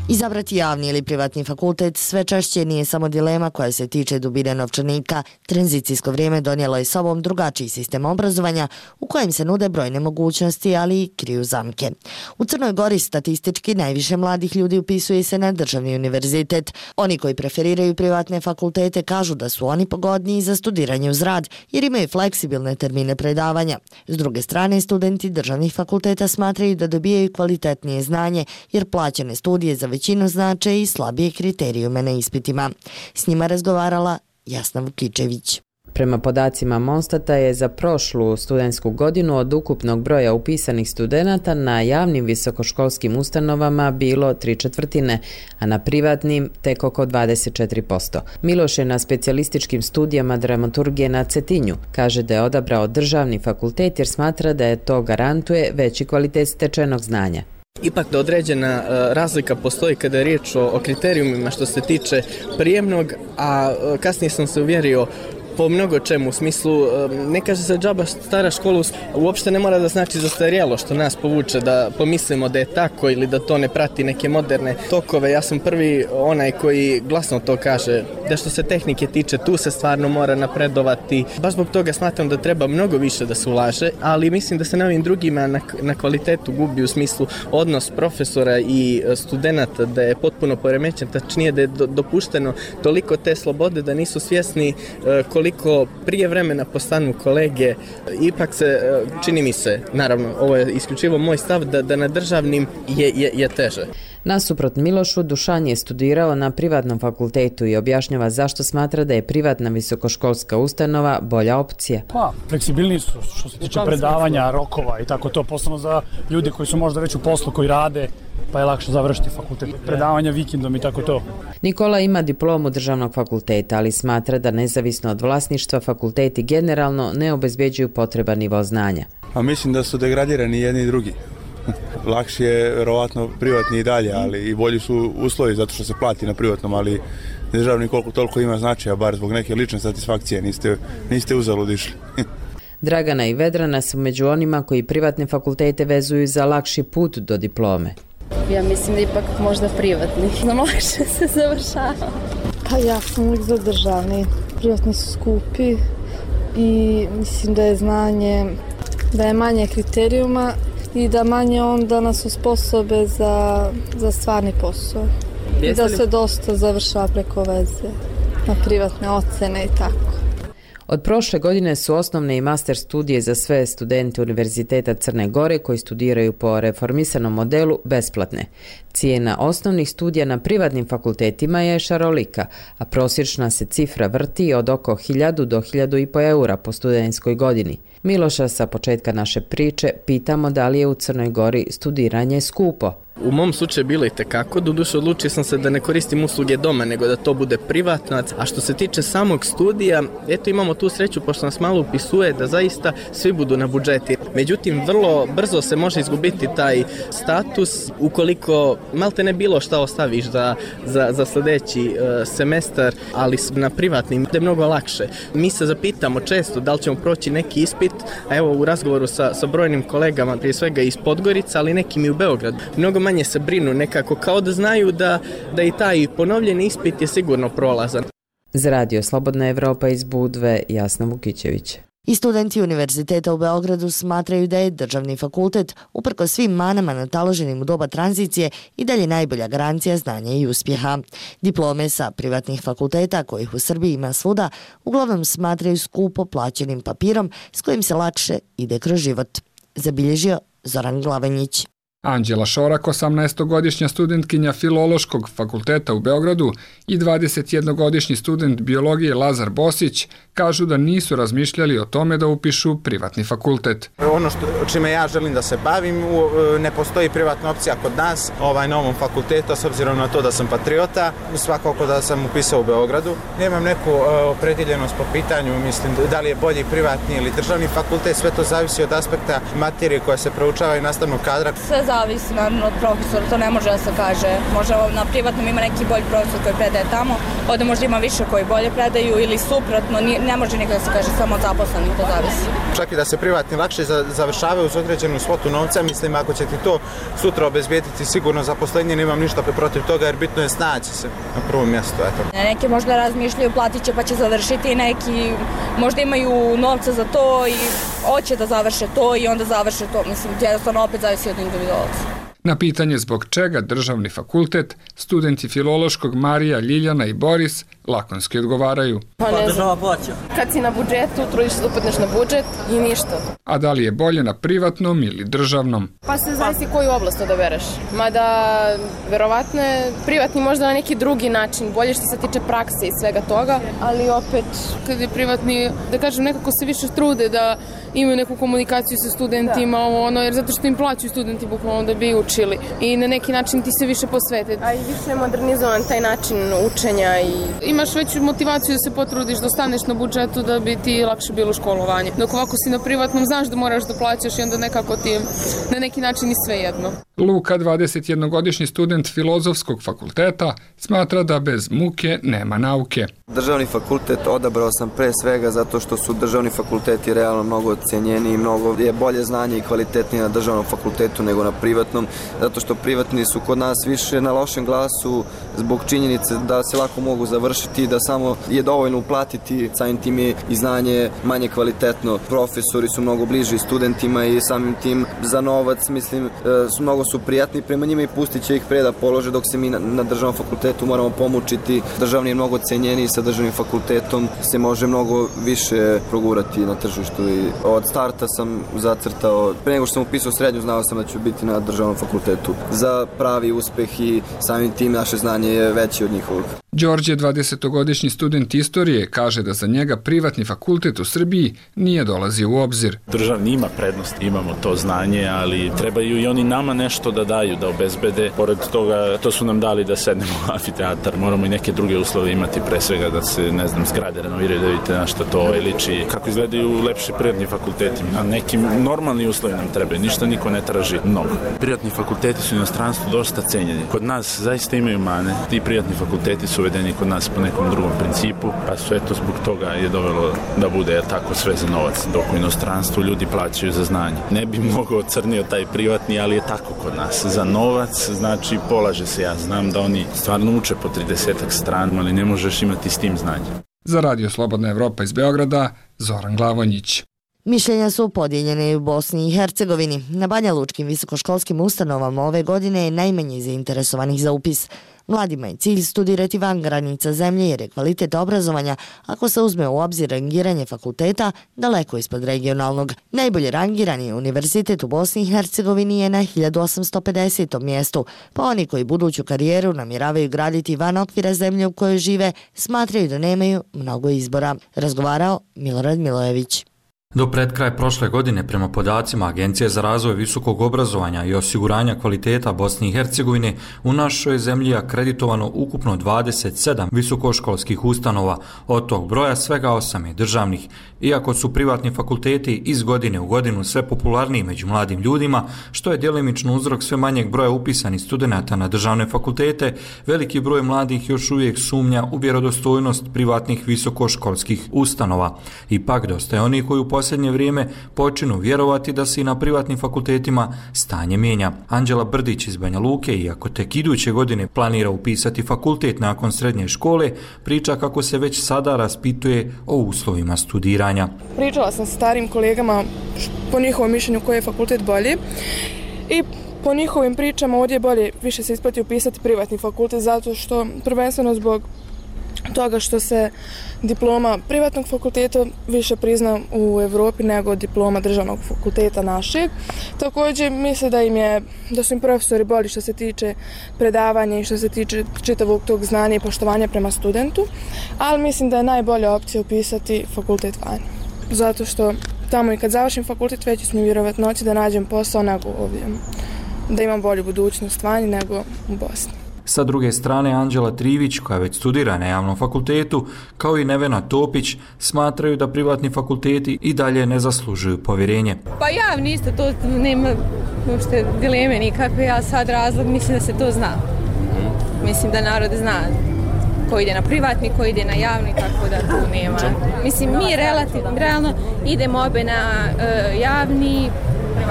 Speaker 11: Izabrati javni ili privatni fakultet sve češće nije samo dilema koja se tiče dubine novčanika. Tranzicijsko vrijeme donijelo je sobom drugačiji sistem obrazovanja u kojem se nude brojne mogućnosti, ali i kriju zamke. U Crnoj Gori statistički najviše mladih ljudi upisuje se na državni univerzitet. Oni koji preferiraju privatne fakultete kažu da su oni pogodniji za studiranje uz rad jer imaju fleksibilne termine predavanja. S druge strane, studenti državnih fakulteta smatraju da dobijaju kvalitetnije znanje jer plaćene studije za većinu znače i slabije kriterijume na ispitima. S njima razgovarala Jasna Vukičević.
Speaker 24: Prema podacima Monstata je za prošlu studentsku godinu od ukupnog broja upisanih studenata na javnim visokoškolskim ustanovama bilo 3/4, a na privatnim tek oko 24%. Miloš je na specijalističkim studijama dramaturgije na Cetinju. Kaže da je odabrao državni fakultet jer smatra da je to garantuje veći kvalitet stečenog znanja.
Speaker 25: Ipak da određena razlika postoji kada je riječ o kriterijumima što se tiče prijemnog, a kasnije sam se uvjerio po mnogo čemu, u smislu, ne kaže se džaba stara škola, uopšte ne mora da znači zastarjelo, što nas povuče da pomislimo da je tako ili da to ne prati neke moderne tokove. Ja sam prvi onaj koji glasno to kaže, da što se tehnike tiče, tu se stvarno mora napredovati. Baš zbog toga smatram da treba mnogo više da se ulaže, ali mislim da se na ovim drugima na kvalitetu gubi, u smislu odnos profesora i studenta, da je potpuno poremećen, tačnije da je dopušteno toliko te slobode da nisu svjesni koliko prije vremena postanu kolege. Ipak se, čini mi se, naravno, ovo je isključivo moj stav, da na državnim je teže.
Speaker 24: Nasuprot Milošu, Dušan je studirao na privatnom fakultetu i objašnjava zašto smatra da je privatna visokoškolska ustanova bolja opcija.
Speaker 26: Pa, fleksibilniji su što se tiče predavanja, rokova i tako to, posebno za ljude koji su možda već u poslu, koji rade, pa je lakše završiti fakultet. Predavanja vikendom i tako to.
Speaker 24: Nikola ima diplomu državnog fakulteta, ali smatra da nezavisno od vlasništva fakulteti generalno ne obezbeđuju potreban nivo znanja.
Speaker 27: A mislim da su degradirani jedni i drugi. Lakše je vjerovatno privatni i dalje, ali i bolji su uslovi zato što se plati na privatnom, ali državni koliko toliko ima značaja, bar zbog neke lične satisfakcije, niste uzalud išli.
Speaker 24: Dragana i Vedrana su među onima koji privatne fakultete vezuju za lakši put do diplome.
Speaker 28: Ja mislim da ipak možda privatni. Nam lakše se završava.
Speaker 29: Pa ja sam uvijek za državni. Privatni su skupi i mislim da je znanje, da je manje kriterijuma i da manje onda nas osposobe za stvarni posao. I da se dosta završava preko veze na privatne ocene i tako.
Speaker 24: Od prošle godine su osnovne i master studije za sve studente Univerziteta Crne Gore koji studiraju po reformisanom modelu besplatne. Cijena osnovnih studija na privatnim fakultetima je šarolika, a prosječna se cifra vrti od oko 1000 do 1500 eura po studentskoj godini. Miloša sa početka naše priče pitamo da li je u Crnoj Gori studiranje skupo.
Speaker 25: U mom slučaju bilo i tekako, doduše odlučio sam se da ne koristim usluge doma, nego da to bude privatno. A što se tiče samog studija, eto imamo tu sreću, pošto nas malo upisuje, da zaista svi budu na budžeti. Međutim, vrlo brzo se može izgubiti taj status ukoliko malte ne bilo šta ostaviš za sljedeći semestar, ali na privatnim je mnogo lakše. Mi se zapitamo često da li ćemo proći neki ispit, a evo u razgovoru sa brojnim kolegama, prije svega iz Podgorica, ali nekim i u Beogradu, mnogo manje se brinu nekako, kao da znaju da i taj ponovljeni ispit je sigurno prolazan.
Speaker 24: Za Radio Slobodna Evropa iz Budve, Jasna Vukičević.
Speaker 11: I studenti Univerziteta u Beogradu smatraju da je državni fakultet, uprkos svim manama nataloženim u doba tranzicije, i dalje najbolja garancija znanja i uspjeha. Diplome sa privatnih fakulteta, kojih u Srbiji ima svuda, uglavnom smatraju skupo plaćenim papirom s kojim se lakše ide kroz život. Zabilježio Zoran Glavanjić.
Speaker 3: Anđela Šorak, 18-godišnja studentkinja Filološkog fakulteta u Beogradu, i 21-godišnji student biologije Lazar Bosić kažu da nisu razmišljali o tome da upišu privatni fakultet.
Speaker 5: Ono čime ja želim da se bavim, ne postoji privatna opcija kod nas na ovom fakultetu, s obzirom na to da sam patriota, svakako da sam upisao u Beogradu. Nemam neku opredjeljenost po pitanju, mislim da li je bolji privatni ili državni fakultet, sve to zavisi od aspekta materije koja se proučava i nastavnog kadra.
Speaker 28: Sve zavisi naravno od profesora, to ne može da se kaže. Možda na privatnom ima neki bolji profesor koji predaje tamo, ovdje možda ima više koji bolje predaju ili suprotno, ne može nikada da se kaže samo od zaposlenih, to zavisi.
Speaker 5: Čak i da se privatni lakše završavaju uz određenu svotu novca, mislim ako će ti to sutra obezbijediti sigurno zaposlenje, nemam ništa protiv toga jer bitno je snaći se na prvom mjestu.
Speaker 28: Neki možda razmišljaju platit će pa će završiti, neki možda imaju novca za to i hoće da završe to i onda završe to, mislim jednostavno opet zavisi od individualca.
Speaker 3: Na pitanje zbog čega državni fakultet, studenti Filološkog Marija, Ljiljana i Boris lakonski odgovaraju.
Speaker 28: Pa država plaća. Kad si na budžetu, trudiš se da upadneš na budžet i ništa.
Speaker 3: A da li je bolje na privatnom ili državnom?
Speaker 28: Pa se zavisi koju oblast odabereš. Mada, verovatno je privatni možda na neki drugi način, bolje što se tiče prakse i svega toga, ali opet, kad je privatni, da kažem, nekako se više trude da imaju neku komunikaciju sa studentima, jer zato što im plaćaju studenti bukvalno da bi učili i na neki način ti se više posvete. A i više je modernizovan taj način učenja i imaš veću motivaciju da se potrudiš da ostaneš na budžetu da bi ti lakše bilo školovanje. Dok ovako si na privatnom, znaš da moraš da plaćaš i onda nekako ti na neki način i sve jedno.
Speaker 3: Luka, 21-godišnji student Filozofskog fakulteta, smatra da bez muke nema nauke.
Speaker 8: Državni fakultet odabrao sam pre svega zato što su državni fakulteti realno mnogo cijenjeni i mnogo je bolje znanje i kvalitetnije na državnom fakultetu nego na privatnom, zato što privatni su kod nas više na lošem glasu zbog činjenice da se lako mogu završiti, da samo je dovoljno uplatiti, samim tim je i znanje manje kvalitetno. Profesori su mnogo bliži studentima i samim tim za novac, mislim, mnogo su prijatni prema njima i pustit će ih pre da polože, dok se mi na državnom fakultetu moramo pomučiti. Državni je mnogo cijenjeniji, sa državnim fakultetom se može mnogo više progurati na tržištu i od starta sam zacrtao, pre nego što sam upisao srednju, znao sam da ću biti na državnom fakultetu za pravi uspeh i samim tim naše znanje je veće od njihovog.
Speaker 3: Đorđe, 20-godišnji student istorije, kaže da za njega privatni fakultet u Srbiji nije dolazio u obzir.
Speaker 12: Državni ima prednost, imamo to znanje, ali trebaju i oni nama nešto da daju, da obezbede. Pored toga, to su nam dali da sednemo u amfiteatar, moramo i neke druge uslove imati, pre svega da se, zgrade renoviraju, da vidite na što to liči, kako izgledaju lepši privatni fakulteti. Na nekim normalni uslovi nam treba, ništa niko ne traži mnogo. Privatni fakulteti su u inostranstvu dosta cenjeni. Kod nas zaista imaju mane, ti privatni fakulteti su uvedeni kod nas po nekom drugom principu, pa sve to zbog toga je dovelo da bude tako sve za novac, dok u inostranstvu ljudi plaćaju za znanje. Ne bi mnogo ocrnio taj privatni, ali je tako kod nas. Za novac, znači polaže se, ja znam da oni stvarno uče po 30 strana, ali ne možeš imati s tim znanje.
Speaker 3: Za Radio Slobodna Evropa iz Beograda, Zoran Glavonjić.
Speaker 11: Mišljenja su podijeljene i u Bosni i Hercegovini. Na Banja Lučkim visokoškolskim ustanovama ove godine je najmanje zainteresovanih za upis. Mladima je cilj studirati van granica zemlje jer je kvalitet obrazovanja, ako se uzme u obzir rangiranje fakulteta, daleko ispod regionalnog. Najbolje rangirani univerzitet u Bosni i Hercegovini je na 1850. mjestu, pa oni koji buduću karijeru namjeravaju graditi van okvira zemlje u kojoj žive, smatraju da nemaju mnogo izbora. Razgovarao Milorad Milojević.
Speaker 13: Do pred kraj prošle godine, prema podacima Agencije za razvoj visokog obrazovanja i osiguranja kvaliteta Bosne i Hercegovine, u našoj zemlji je akreditovano ukupno 27 visokoškolskih ustanova, od tog broja svega 8 je državnih. Iako su privatni fakulteti iz godine u godinu sve popularniji među mladim ljudima, što je djelimično uzrok sve manjeg broja upisanih studenata na državne fakultete, veliki broj mladih još uvijek sumnja u vjerodostojnost privatnih visokoškolskih ustanova. Ipak dosta je oni koji u posljednje vrijeme počinu vjerovati da se i na privatnim fakultetima stanje mijenja. Anđela Brdić iz Banja Luke, iako tek iduće godine planira upisati fakultet nakon srednje škole, priča kako se već sada raspituje o uslovima studiranja. obrazovanja.
Speaker 28: Pričala sam sa starim kolegama po njihovom mišljenju koji je fakultet bolji i po njihovim pričama ovdje je bolje, više se isplati upisati privatni fakultet zato što prvenstveno zbog toga što se diploma privatnog fakulteta više prizna u Europi nego diploma državnog fakulteta našeg. Također misle da su im profesori bolji što se tiče predavanja i što se tiče čitavog tog znanja i poštovanja prema studentu, ali mislim da je najbolja opcija upisati fakultet vani. Zato što tamo i kad završim fakultet veći su mi vjerovatnoće da nađem posao nego ovdje, da imam bolju budućnost vani nego u Bosni.
Speaker 13: Sa druge strane, Anđela Trivić, koja već studira na javnom fakultetu, kao i Nevena Topić, smatraju da privatni fakulteti i dalje ne zaslužuju povjerenje.
Speaker 6: Pa javni isto, to nema uopšte dileme nikakve, ja sad razlog mislim da se to zna. Mislim da narod zna ko ide na privatni, ko ide na javni, tako da tu nema. Mislim, mi realno idemo obe na javni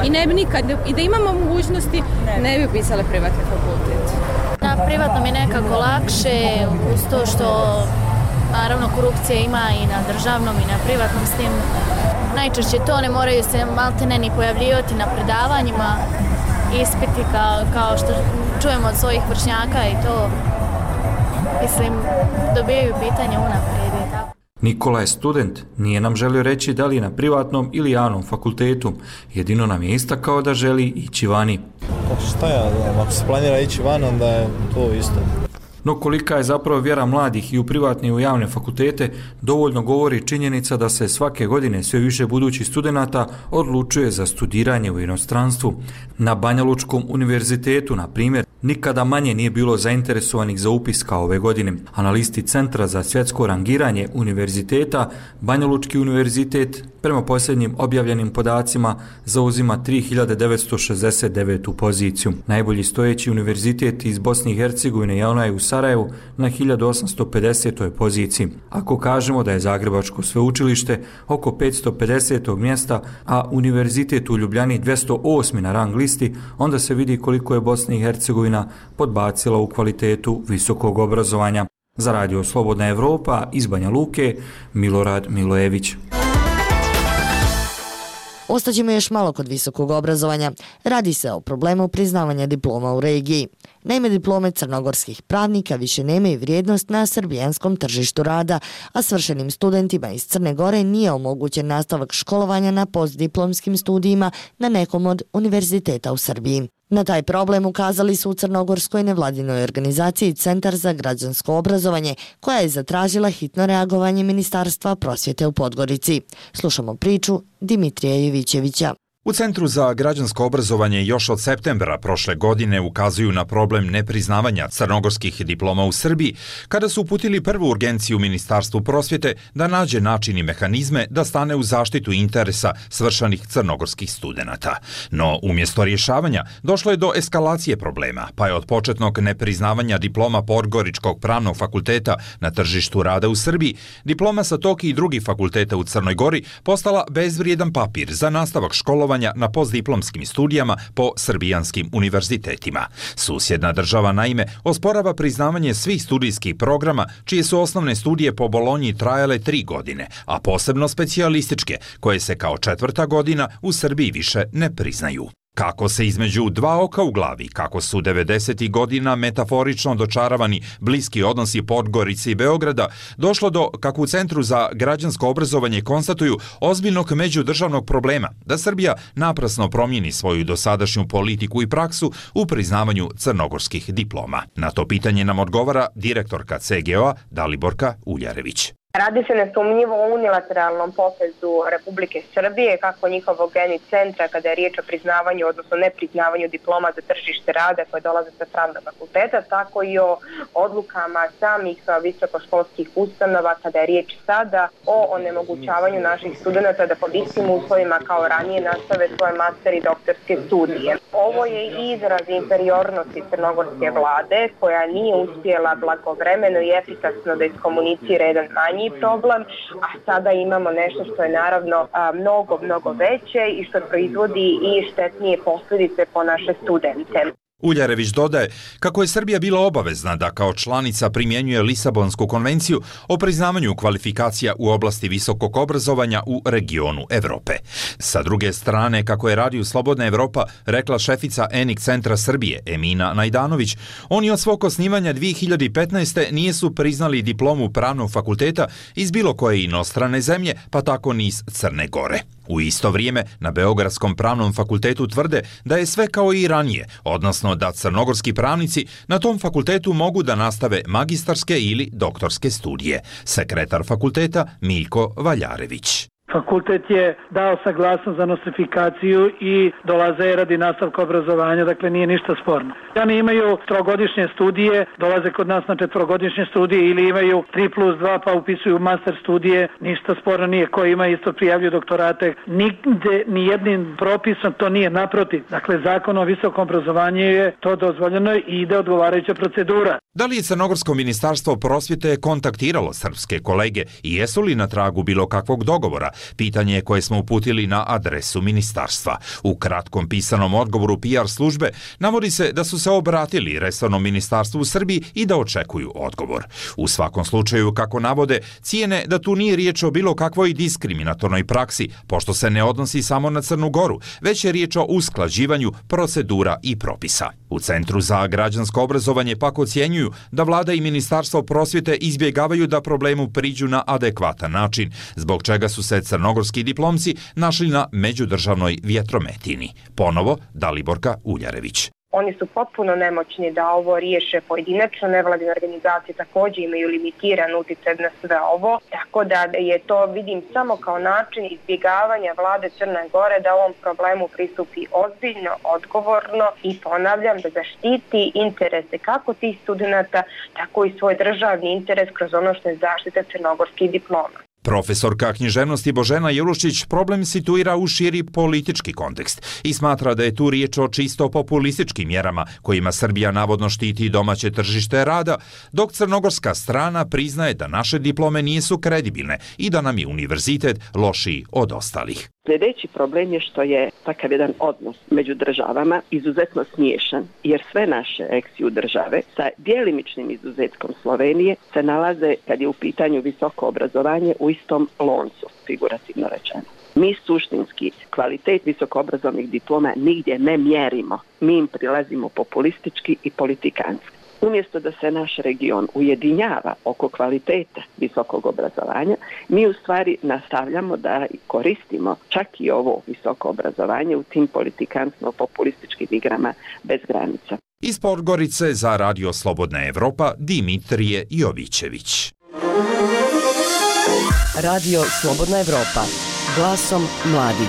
Speaker 6: i ne bi nikad, i da imamo mogućnosti, ne bi upisali privatni fakultet.
Speaker 7: Na privatnom je nekako lakše, uz to što naravno korupcija ima i na državnom i na privatnom, s tim najčešće to ne moraju se maltene ni pojavljivati na predavanjima, ispiti kao što čujemo od svojih vršnjaka i to, mislim, dobijaju pitanje unaprijed i tako.
Speaker 13: Nikola je student, nije nam želio reći da li je na privatnom ili javnom fakultetu, jedino nam je istakao da želi ići vani.
Speaker 14: Šta ja znam, ako se planira ići van, onda je to isto.
Speaker 13: No kolika je zapravo vjera mladih i u privatne i u javne fakultete, dovoljno govori činjenica da se svake godine sve više budućih studenata odlučuje za studiranje u inostranstvu. Na Banjalučkom univerzitetu, na primjer, nikada manje nije bilo zainteresovanih za upis kao ove godine. A na listi Centra za svjetsko rangiranje univerziteta, Banjalučki univerzitet, prema posljednjim objavljenim podacima, zauzima 3969. poziciju. Najbolji stojeći univerzitet iz Bosne i Hercegovine je onaj u Sarajevu na 1850. poziciji. Ako kažemo da je Zagrebačko sveučilište oko 550. mjesta, a univerzitet u Ljubljani 208. na rang listi, onda se vidi koliko je Bosna i Hercegovina podbacila u kvalitetu visokog obrazovanja. Za Radio Slobodna Evropa iz Banja Luke, Milorad Milojević.
Speaker 11: Ostaćemo još malo kod visokog obrazovanja. Radi se o problemu priznavanja diploma u regiji. Naime, diplome crnogorskih pravnika više nemaju vrijednost na srbijanskom tržištu rada, a svršenim studentima iz Crne Gore nije omogućen nastavak školovanja na postdiplomskim studijima na nekom od univerziteta u Srbiji. Na taj problem ukazali su u crnogorskoj nevladinoj organizaciji Centar za građansko obrazovanje, koja je zatražila hitno reagovanje Ministarstva prosvjete u Podgorici. Slušamo priču Dimitrija Jevićevića.
Speaker 15: U Centru za građansko obrazovanje još od septembra prošle godine ukazuju na problem nepriznavanja crnogorskih diploma u Srbiji, kada su uputili prvu urgenciju Ministarstvu prosvjete da nađe način i mehanizme da stane u zaštitu interesa svršanih crnogorskih studenata. No, umjesto rješavanja, došlo je do eskalacije problema, pa je od početnog nepriznavanja diploma Podgoričkog pravnog fakulteta na tržištu rada u Srbiji, diploma sa tog i drugih fakulteta u Crnoj Gori postala bezvrijedan papir za nastavak školovanja na postdiplomskim studijama po srbijanskim univerzitetima. Susjedna država naime osporava priznavanje svih studijskih programa čije su osnovne studije po Bolonji trajale 3 godine, a posebno specijalističke, koje se kao 4. godina u Srbiji više ne priznaju. Kako se između dva oka u glavi, kako su 90. godina metaforično dočaravani bliski odnosi Podgorice i Beograda, došlo do, kako u Centru za građansko obrazovanje konstatuju, ozbiljnog međudržavnog problema, da Srbija naprasno promijeni svoju dosadašnju politiku i praksu u priznavanju crnogorskih diploma. Na to pitanje nam odgovara direktorka CGO-a Daliborka Uljarević.
Speaker 16: Radi se nesumnjivo o unilateralnom potezu Republike Srbije, kako njihovog geni centra kada je riječ o priznavanju, odnosno nepriznavanju diploma za tržište rada koje dolaze sa pravnog fakulteta, tako i o odlukama samih visokoškolskih ustanova kada je riječ sada o onemogućavanju naših studenata da pod istim uslovima kao ranije nastave svoje master i doktorske studije. Ovo je izraz inferiornosti crnogorske vlade koja nije uspjela blagovremeno i efikasno da iskomunicira jedan manji problem, a sada imamo nešto što je naravno mnogo veće i što proizvodi i štetnije posljedice po naše studente.
Speaker 15: Uljarević dodaje kako je Srbija bila obavezna da kao članica primjenjuje Lisabonsku konvenciju o priznavanju kvalifikacija u oblasti visokog obrazovanja u regionu Evrope. Sa druge strane, kako je Radio Slobodna Evropa rekla šefica ENIC centra Srbije Emina Najdanović, oni od svog osnivanja 2015. nisu priznali diplomu pravnog fakulteta iz bilo koje inostrane zemlje, pa tako ni iz Crne Gore. U isto vrijeme na Beogradskom pravnom fakultetu tvrde da je sve kao i ranije, odnosno da crnogorski pravnici na tom fakultetu mogu da nastave magistarske ili doktorske studije. Sekretar fakulteta Miljko Valjarević.
Speaker 1: Fakultet je dao saglasnost za nostrifikaciju i dolaze radi nastavka obrazovanja, dakle nije ništa sporno. Oni imaju trogodišnje studije, dolaze kod nas na četvorogodišnje studije ili imaju 3+2 pa upisuju master studije, ništa sporno nije. Ko ima isto prijavljuju doktorate. Nigde, ni jednim propisom to nije, naprotiv. Dakle, zakon o visokom obrazovanju je to dozvoljeno i ide odgovarajuća procedura.
Speaker 15: Da li je Crnogorsko ministarstvo prosvjete kontaktiralo srpske kolege i jesu li na tragu bilo kakvog dogovora? Pitanje je koje smo uputili na adresu ministarstva. U kratkom pisanom odgovoru PR službe navodi se da su se obratili resornom ministarstvu u Srbiji i da očekuju odgovor. U svakom slučaju, kako navode, cijene da tu nije riječ o bilo kakvoj diskriminatornoj praksi, pošto se ne odnosi samo na Crnu Goru, već je riječ o usklađivanju procedura i propisa. U Centru za građansko obrazovanje pak ocjenjuju da vlada i ministarstvo prosvjete izbjegavaju da problemu priđu na adekvatan način, zbog čega su se crnogorski diplomci našli na međudržavnoj vjetrometini. Ponovo Daliborka Uljarević.
Speaker 16: Oni su potpuno nemoćni da ovo riješe pojedinačno, nevladine organizacije također imaju limitiran utjecaj na sve ovo, tako da je to vidim samo kao način izbjegavanja vlade Crne Gore da ovom problemu pristupi ozbiljno, odgovorno i ponavljam da zaštiti interese kako tih studenata, tako i svoj državni interes kroz ono što je zaštita crnogorskih diploma.
Speaker 15: Profesorka književnosti Božena Jelušić problem situira u širi politički kontekst i smatra da je tu riječ o čisto populističkim mjerama kojima Srbija navodno štiti domaće tržište rada, dok crnogorska strana priznaje da naše diplome nisu kredibilne i da nam je univerzitet lošiji od ostalih.
Speaker 4: Sljedeći problem je što je takav jedan odnos među državama izuzetno smiješan, jer sve naše eksiju države sa djelimičnim izuzetkom Slovenije se nalaze, kad je u pitanju visoko obrazovanje, u istom loncu, figurativno rečeno. Mi suštinski kvalitet visokoobrazovnih diploma nigdje ne mjerimo, mi im prilazimo populistički i politikanski. Umjesto da se naš region ujedinjava oko kvaliteta visokog obrazovanja, mi u stvari nastavljamo da koristimo čak i ovo visoko obrazovanje u tim politikansko-populističkim igrama bez granica.
Speaker 15: Iz Podgorice za Radio Slobodna Evropa Dimitrije Jovićević.
Speaker 17: Radio Slobodna Evropa. Glasom mladih.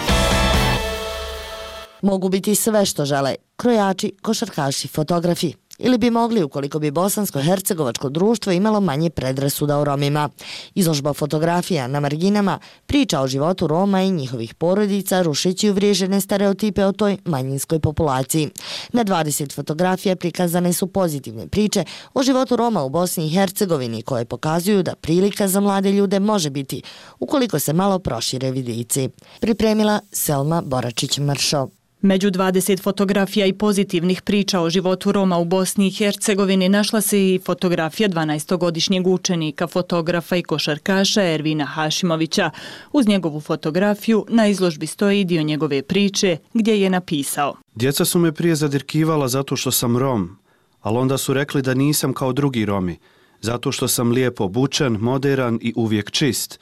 Speaker 11: Mogu biti sve što žele, krojači, košarkaši, fotografi. Ili bi mogli ukoliko bi bosansko-hercegovačko društvo imalo manje predrasuda o Romima. Izložba fotografija na marginama priča o životu Roma i njihovih porodica rušeći uvriježene stereotipe o toj manjinskoj populaciji. Na 20 fotografija prikazane su pozitivne priče o životu Roma u Bosni i Hercegovini koje pokazuju da prilika za mlade ljude može biti ukoliko se malo prošire vidici. Pripremila Selma Boračić-Mršo.
Speaker 18: Među 20 fotografija i pozitivnih priča o životu Roma u Bosni i Hercegovini našla se i fotografija 12-godišnjeg učenika, fotografa i košarkaša Ervina Hašimovića. Uz njegovu fotografiju na izložbi stoji i dio njegove priče gdje je napisao:
Speaker 19: Djeca su me prije zadirkivala zato što sam Rom, ali onda su rekli da nisam kao drugi Romi, zato što sam lijepo obučen, moderan i uvijek čist.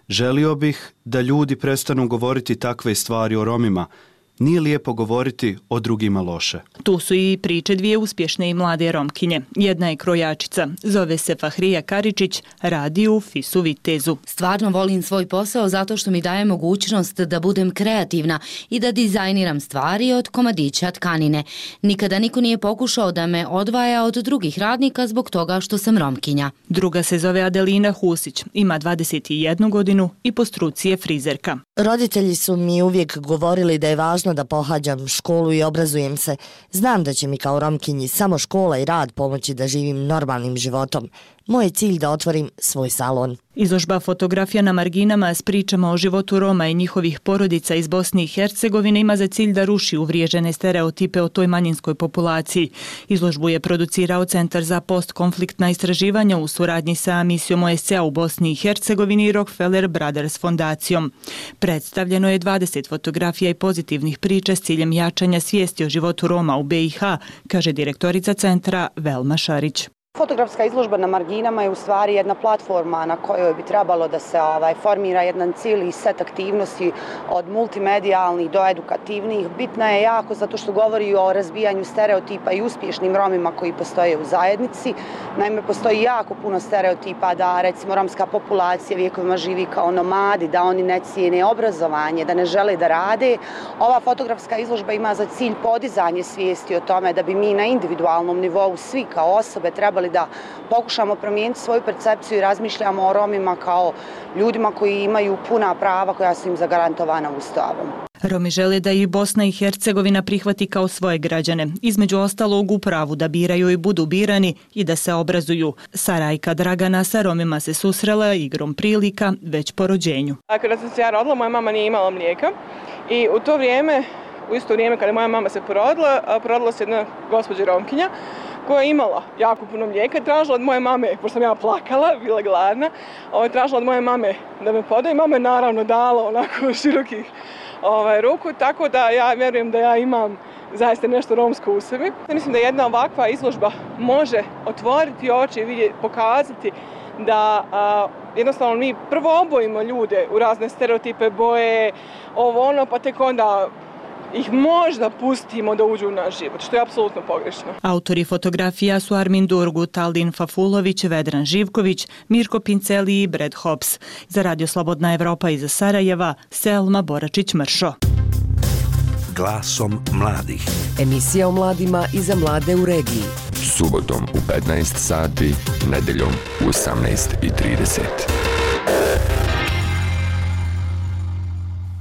Speaker 19: Želio bih da ljudi prestanu govoriti takve stvari o Romima. Nije lijepo govoriti o drugima loše.
Speaker 18: Tu su i priče dvije uspješne i mlade Romkinje. Jedna je krojačica, zove se Fahrija Karičić, radi u FIS-u Vitezu.
Speaker 10: Stvarno volim svoj posao zato što mi daje mogućnost da budem kreativna i da dizajniram stvari od komadića tkanine. Nikada niko nije pokušao da me odvaja od drugih radnika zbog toga što sam Romkinja.
Speaker 18: Druga se zove Adelina Husić, ima 21 godinu i po struci je frizerka.
Speaker 11: Roditelji su mi uvijek govorili da je važno da pohađam školu i obrazujem se. Znam da će mi kao Romkinji samo škola i rad pomoći da živim normalnim životom. Moj je cilj da otvorim svoj salon.
Speaker 18: Izložba fotografija na marginama s pričama o životu Roma i njihovih porodica iz Bosne i Hercegovine ima za cilj da ruši uvriježene stereotipe o toj manjinskoj populaciji. Izložbu je producirao Centar za postkonfliktna istraživanja u suradnji sa misijom OSCE u Bosni i Hercegovini i Rockefeller Brothers fondacijom. Predstavljeno je 20 fotografija i pozitivnih priča s ciljem jačanja svijesti o životu Roma u BiH, kaže direktorica centra Velma Šarić.
Speaker 2: Fotografska izložba na marginama je u stvari jedna platforma na kojoj bi trebalo da se formira jedan cijeli set aktivnosti od multimedijalnih do edukativnih. Bitna je jako zato što govori o razbijanju stereotipa i uspješnim Romima koji postoje u zajednici. Naime, postoji jako puno stereotipa da recimo romska populacija vjekovima živi kao nomadi, da oni ne cijene obrazovanje, da ne žele da rade. Ova fotografska izložba ima za cilj podizanje svijesti o tome da bi mi na individualnom nivou svi kao osobe trebali da pokušamo promijeniti svoju percepciju i razmišljamo o Romima kao ljudima koji imaju puna prava koja su im zagarantovana Ustavom.
Speaker 18: Romi žele da i Bosna i Hercegovina prihvati kao svoje građane, između ostalog u pravu da biraju i budu birani i da se obrazuju. Sarajka Dragana sa Romima se susrela igrom prilika već po rođenju.
Speaker 9: Kada sam se ja rodila, moja mama nije imala mlijeka i u isto vrijeme kada moja mama se porodila se jedna gospođa Romkinja koja je imala jako puno mlijeka i tražila od moje mame, pošto sam ja plakala, bila gladna, tražila od moje mame da me podaje i mama je naravno dala onako širokih ruku, tako da ja vjerujem da ja imam zaista nešto romsko u sebi. Mislim da jedna ovakva izložba može otvoriti oči i pokazati da jednostavno mi prvo obojimo ljude u razne stereotipe, boje, pa tek onda ih možda pustimo da uđu u naš život, što je apsolutno pogrešno.
Speaker 18: Autori fotografija su Armin Durgut, Aldin Fafulović, Vedran Živković, Mirko Pinceli i Brad Hobbs. Za Radio Slobodna Evropa iz Sarajeva, Selma Boračić-Mršo.
Speaker 20: Glasom mladih.
Speaker 17: Emisija o mladima i za mlade u regiji.
Speaker 20: Subotom u 15 sati, nedeljom u 18:30.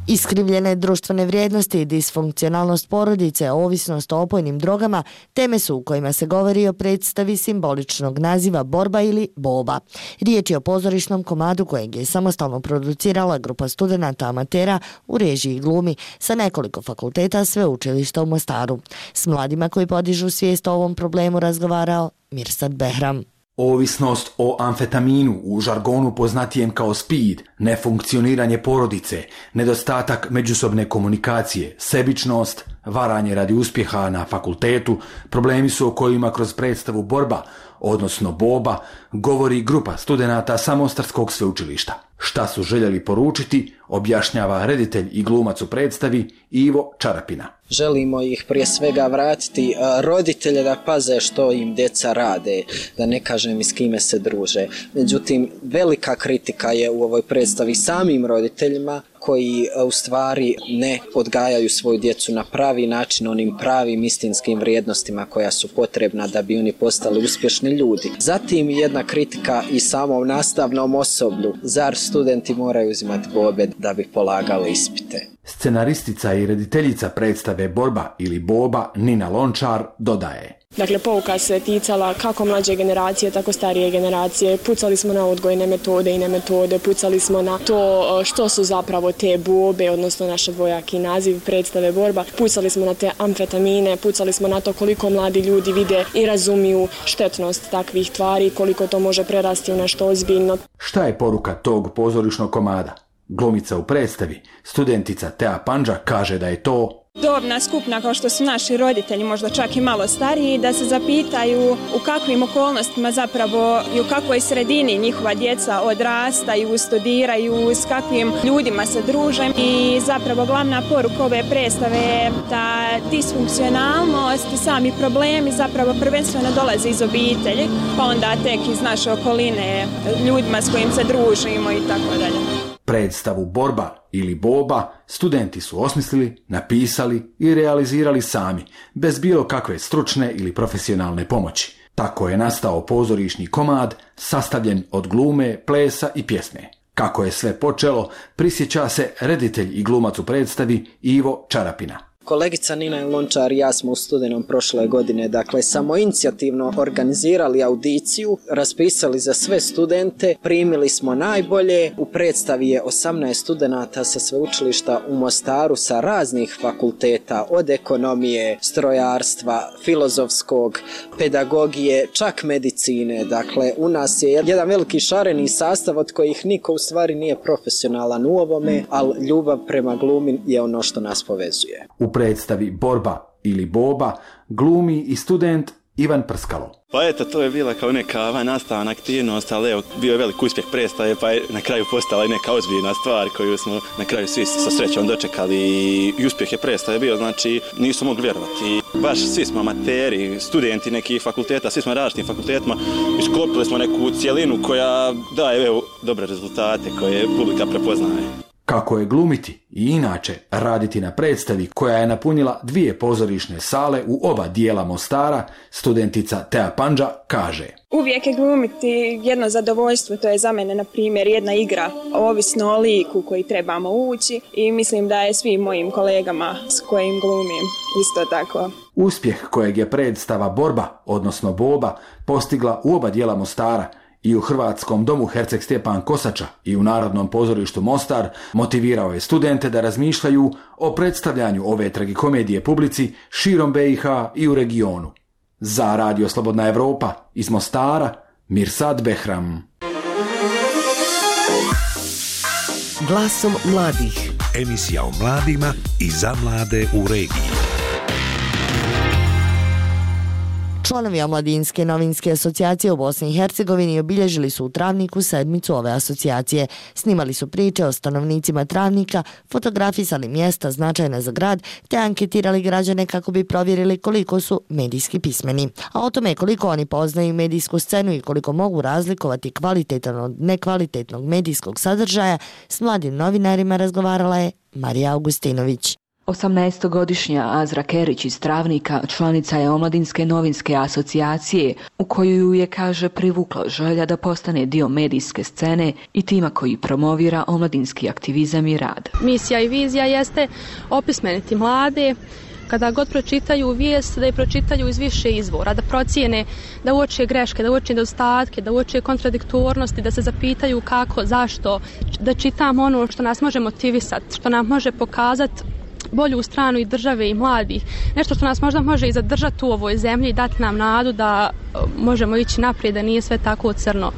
Speaker 11: Iskrivljene društvene vrijednosti i disfunkcionalnost porodice, ovisnost o opojnim drogama, teme su u kojima se govori o predstavi simboličnog naziva Borba ili Boba. Riječ je o pozorišnom komadu kojeg je samostalno producirala grupa studenata amatera u režiji i glumi sa nekoliko fakulteta sveučilišta u Mostaru. S mladima koji podižu svijest o ovom problemu razgovarao Mirsad Behram.
Speaker 21: Ovisnost o amfetaminu, u žargonu poznatijem kao speed, nefunkcioniranje porodice, nedostatak međusobne komunikacije, sebičnost, varanje radi uspjeha na fakultetu, problemi su o kojima kroz predstavu Borba, odnosno Boba, govori grupa studenata sa Mostarskog sveučilišta. Šta su željeli poručiti, objašnjava reditelj i glumac u predstavi Ivo Čarapina.
Speaker 22: Želimo ih prije svega vratiti roditelje da paze što im djeca rade, da ne kažem i s kime se druže. Međutim, velika kritika je u ovoj predstavi samim roditeljima koji u stvari ne odgajaju svoju djecu na pravi način, onim pravim istinskim vrijednostima koja su potrebna da bi oni postali uspješni ljudi. Zatim jedna kritika i samom nastavnom osoblju. Zar studenti moraju uzimati bobe da bi polagali ispite?
Speaker 21: Scenaristica i rediteljica predstave Borba ili Boba Nina Lončar dodaje.
Speaker 23: Dakle, pouka se ticala kako mlađe generacije, tako starije generacije. Pucali smo na odgojne metode i nemetode, pucali smo na to što su zapravo te bobe, odnosno naš dvojaki naziv predstave Borba. Pucali smo na te amfetamine, pucali smo na to koliko mladi ljudi vide i razumiju štetnost takvih tvari, koliko to može prerasti u nešto ozbiljno.
Speaker 21: Šta je poruka tog pozorišnog komada? Glumica u predstavi, studentica Tea Pandža, kaže da je to
Speaker 26: dobna skupina kao što su naši roditelji, možda čak i malo stariji, da se zapitaju u kakvim okolnostima zapravo i u kakvoj sredini njihova djeca odrastaju, studiraju, s kakvim ljudima se druže. I zapravo glavna poruka ove predstave je da disfunkcionalnost i sami problemi zapravo prvenstveno dolaze iz obitelji, pa onda tek iz naše okoline, ljudima s kojim se družimo i tako dalje.
Speaker 21: Predstavu Borba ili Boba studenti su osmislili, napisali i realizirali sami, bez bilo kakve stručne ili profesionalne pomoći. Tako je nastao pozorišni komad sastavljen od glume, plesa i pjesme. Kako je sve počelo, prisjeća se reditelj i glumac u predstavi Ivo Čarapina.
Speaker 22: Kolegica Nina Lončar i ja smo u studenom prošle godine, dakle, samoinicijativno organizirali audiciju, raspisali za sve studente, primili smo najbolje, u predstavi je 18 studenata sa sveučilišta u Mostaru sa raznih fakulteta, od ekonomije, strojarstva, filozofskog, pedagogije, čak medicine. Dakle, u nas je jedan veliki šareni sastav od kojih niko u stvari nije profesionalan u ovome, ali ljubav prema glumi je ono što nas povezuje.
Speaker 21: U predstavi Borba ili Boba glumi i student Ivan Prskalo.
Speaker 3: Pa eto, to je bila kao neka nastavna aktivnost, ali evo, bio je velik uspjeh predstave, pa je na kraju postala i neka ozbiljna stvar koju smo na kraju svi sa srećom dočekali i uspjeh je predstave bio, znači nisu mogli vjerovati. Baš svi smo amateri, studenti nekih fakulteta, svi smo različitim fakultetima, isklopili smo neku cijelinu koja daje evo, dobre rezultate koje publika prepoznaje.
Speaker 21: Kako je glumiti i inače raditi na predstavi koja je napunila 2 pozorišne sale u oba dijela Mostara, studentica Tea Pandža kaže:
Speaker 26: Uvijek je glumiti jedno zadovoljstvo, to je za mene, na primjer, jedna igra, ovisno o liku koji trebamo ući i mislim da je svim mojim kolegama s kojim glumim isto tako.
Speaker 21: Uspjeh kojeg je predstava Borba, odnosno Boba, postigla u oba dijela Mostara, i u Hrvatskom domu Herceg Stjepan Kosača i u Narodnom pozorištu Mostar, motivirao je studente da razmišljaju o predstavljanju ove tragikomedije publici širom BiH i u regionu. Za Radio Slobodna Evropa iz Mostara, Mirsad Behram.
Speaker 17: Glasom mladih.
Speaker 20: Emisija o mladima i za mlade u regiji.
Speaker 11: Članovi Omladinske novinske asocijacije u Bosni i Hercegovini obilježili su u Travniku sedmicu ove asocijacije. Snimali su priče o stanovnicima Travnika, fotografisali mjesta značajna za grad, te anketirali građane kako bi provjerili koliko su medijski pismeni. A o tome koliko oni poznaju medijsku scenu i koliko mogu razlikovati kvalitetan od nekvalitetnog medijskog sadržaja, s mladim novinarima razgovarala je Marija Augustinović.
Speaker 5: 18-godišnja Azra Kerić iz Travnika članica je Omladinske novinske asocijacije, u koju ju je, kaže, privukla želja da postane dio medijske scene i tima koji promovira omladinski aktivizam i rad.
Speaker 8: Misija i vizija jeste opismeniti mlade, kada god pročitaju vijest, da je pročitaju iz više izvora, da procijene, da uoče greške, da uoče nedostatke, da uoče kontradiktornosti, da se zapitaju kako, zašto, da čitamo ono što nas može motivisati, što nam može pokazati bolju stranu i države i mladih. Nešto što nas možda može i zadržati u ovoj zemlji i dati nam nadu da možemo ići naprijed, da nije sve tako crno.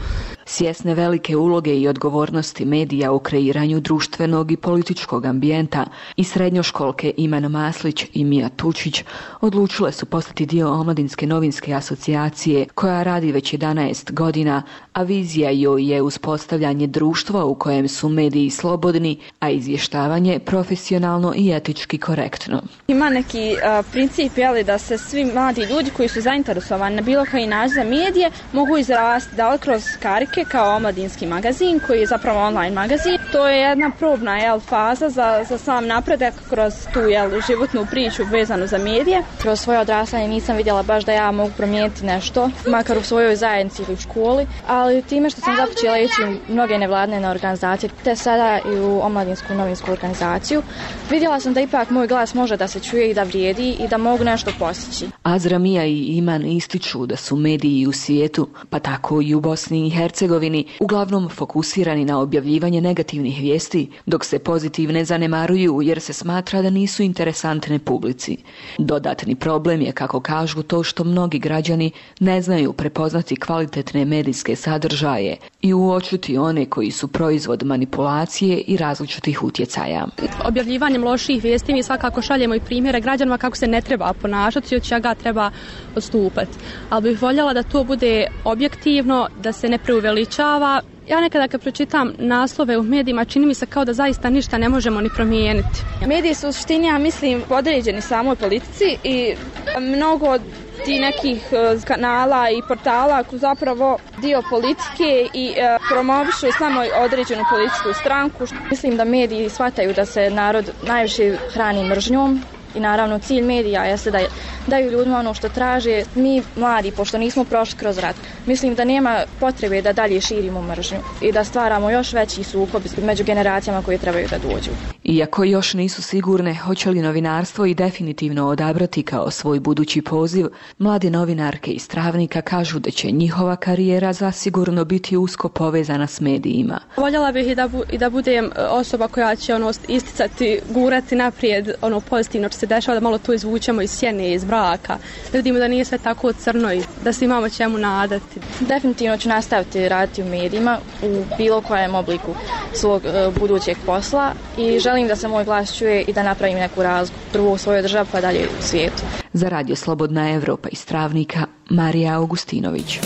Speaker 5: Svjesne velike uloge i odgovornosti medija u kreiranju društvenog i političkog ambijenta i srednjoškolke Iman Maslić i Mija Tučić odlučile su postati dio Omladinske novinske asocijacije koja radi već 11 godina, a vizija joj je uspostavljanje društva u kojem su mediji slobodni, a izvještavanje profesionalno i etički korektno.
Speaker 12: Ima neki princip da se svi mladi ljudi koji su zainteresovani na bilo koji način za medije mogu izrasti, da li kroz karike kao omladinski magazin koji je zapravo online magazin. To je jedna probna faza za sam napredak kroz tu životnu priču vezanu za medije. Kroz svoje odrastanje nisam vidjela baš da ja mogu promijeniti nešto, makar u svojoj zajednici ili u školi, ali time što sam započela ići u mnoge nevladine organizacije, te sada i u Omladinsku novinsku organizaciju, vidjela sam da ipak moj glas može da se čuje i da vrijedi i da mogu nešto postići.
Speaker 5: Azra, Mija i Iman ističu da su mediji u svijetu, pa tako i u Bosni i Hercegovini, uglavnom fokusirani na objavljivanje negativnih vijesti, dok se pozitivne zanemaruju jer se smatra da nisu interesantne publici. Dodatni problem je, kako kažu, to što mnogi građani ne znaju prepoznati kvalitetne medijske sadržaje i uočiti one koji su proizvod manipulacije i različitih utjecaja.
Speaker 8: Objavljivanjem loših vijesti mi svakako šaljemo i primjere građanima kako se ne treba ponašati i od čega treba odstupati. Ali bih voljela da to bude objektivno, da se ne preuveličava. Ja nekada kad pročitam naslove u medijima čini mi se kao da zaista ništa ne možemo ni promijeniti.
Speaker 12: Mediji su u suštini, ja mislim, podređeni samoj politici i mnogo od ti nekih kanala i portala su zapravo dio politike i promovišu samo određenu političku stranku. Mislim da mediji shvataju da se narod najviše hrani mržnjom. I naravno cilj medija jeste da daju ljudima ono što traže. Mi mladi, pošto nismo prošli kroz rat, mislim da nema potrebe da dalje širimo mržnju i da stvaramo još veći sukob među generacijama koje trebaju da dođu.
Speaker 5: Iako još nisu sigurne hoće li novinarstvo i definitivno odabrati kao svoj budući poziv, mlade novinarke iz Travnika kažu da će njihova karijera zasigurno biti usko povezana s medijima.
Speaker 8: Voljela bih i da budem osoba koja će isticati, gurati naprijed pozitivno što se dešava, da malo to izvučemo iz sjene, iz braka, da vidimo da nije sve tako crno i da se imamo čemu nadati.
Speaker 6: Definitivno ću nastaviti raditi u medijima u bilo kojem obliku svog budućeg posla i želim da se moj glas čuje i da napravim neku razliku, prvo u svojoj državi pa dalje u svijetu.
Speaker 5: Za Radio Slobodna Evropa iz Travnika, Marija Augustinović.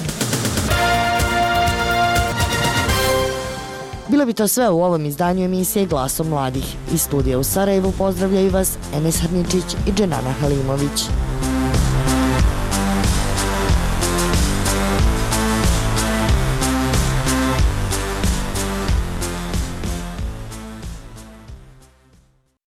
Speaker 11: Bilo bi to sve u ovom izdanju emisije Glasom mladih. Iz studija u Sarajevu pozdravljaju vas Enes Harničić i Dženana Halimović.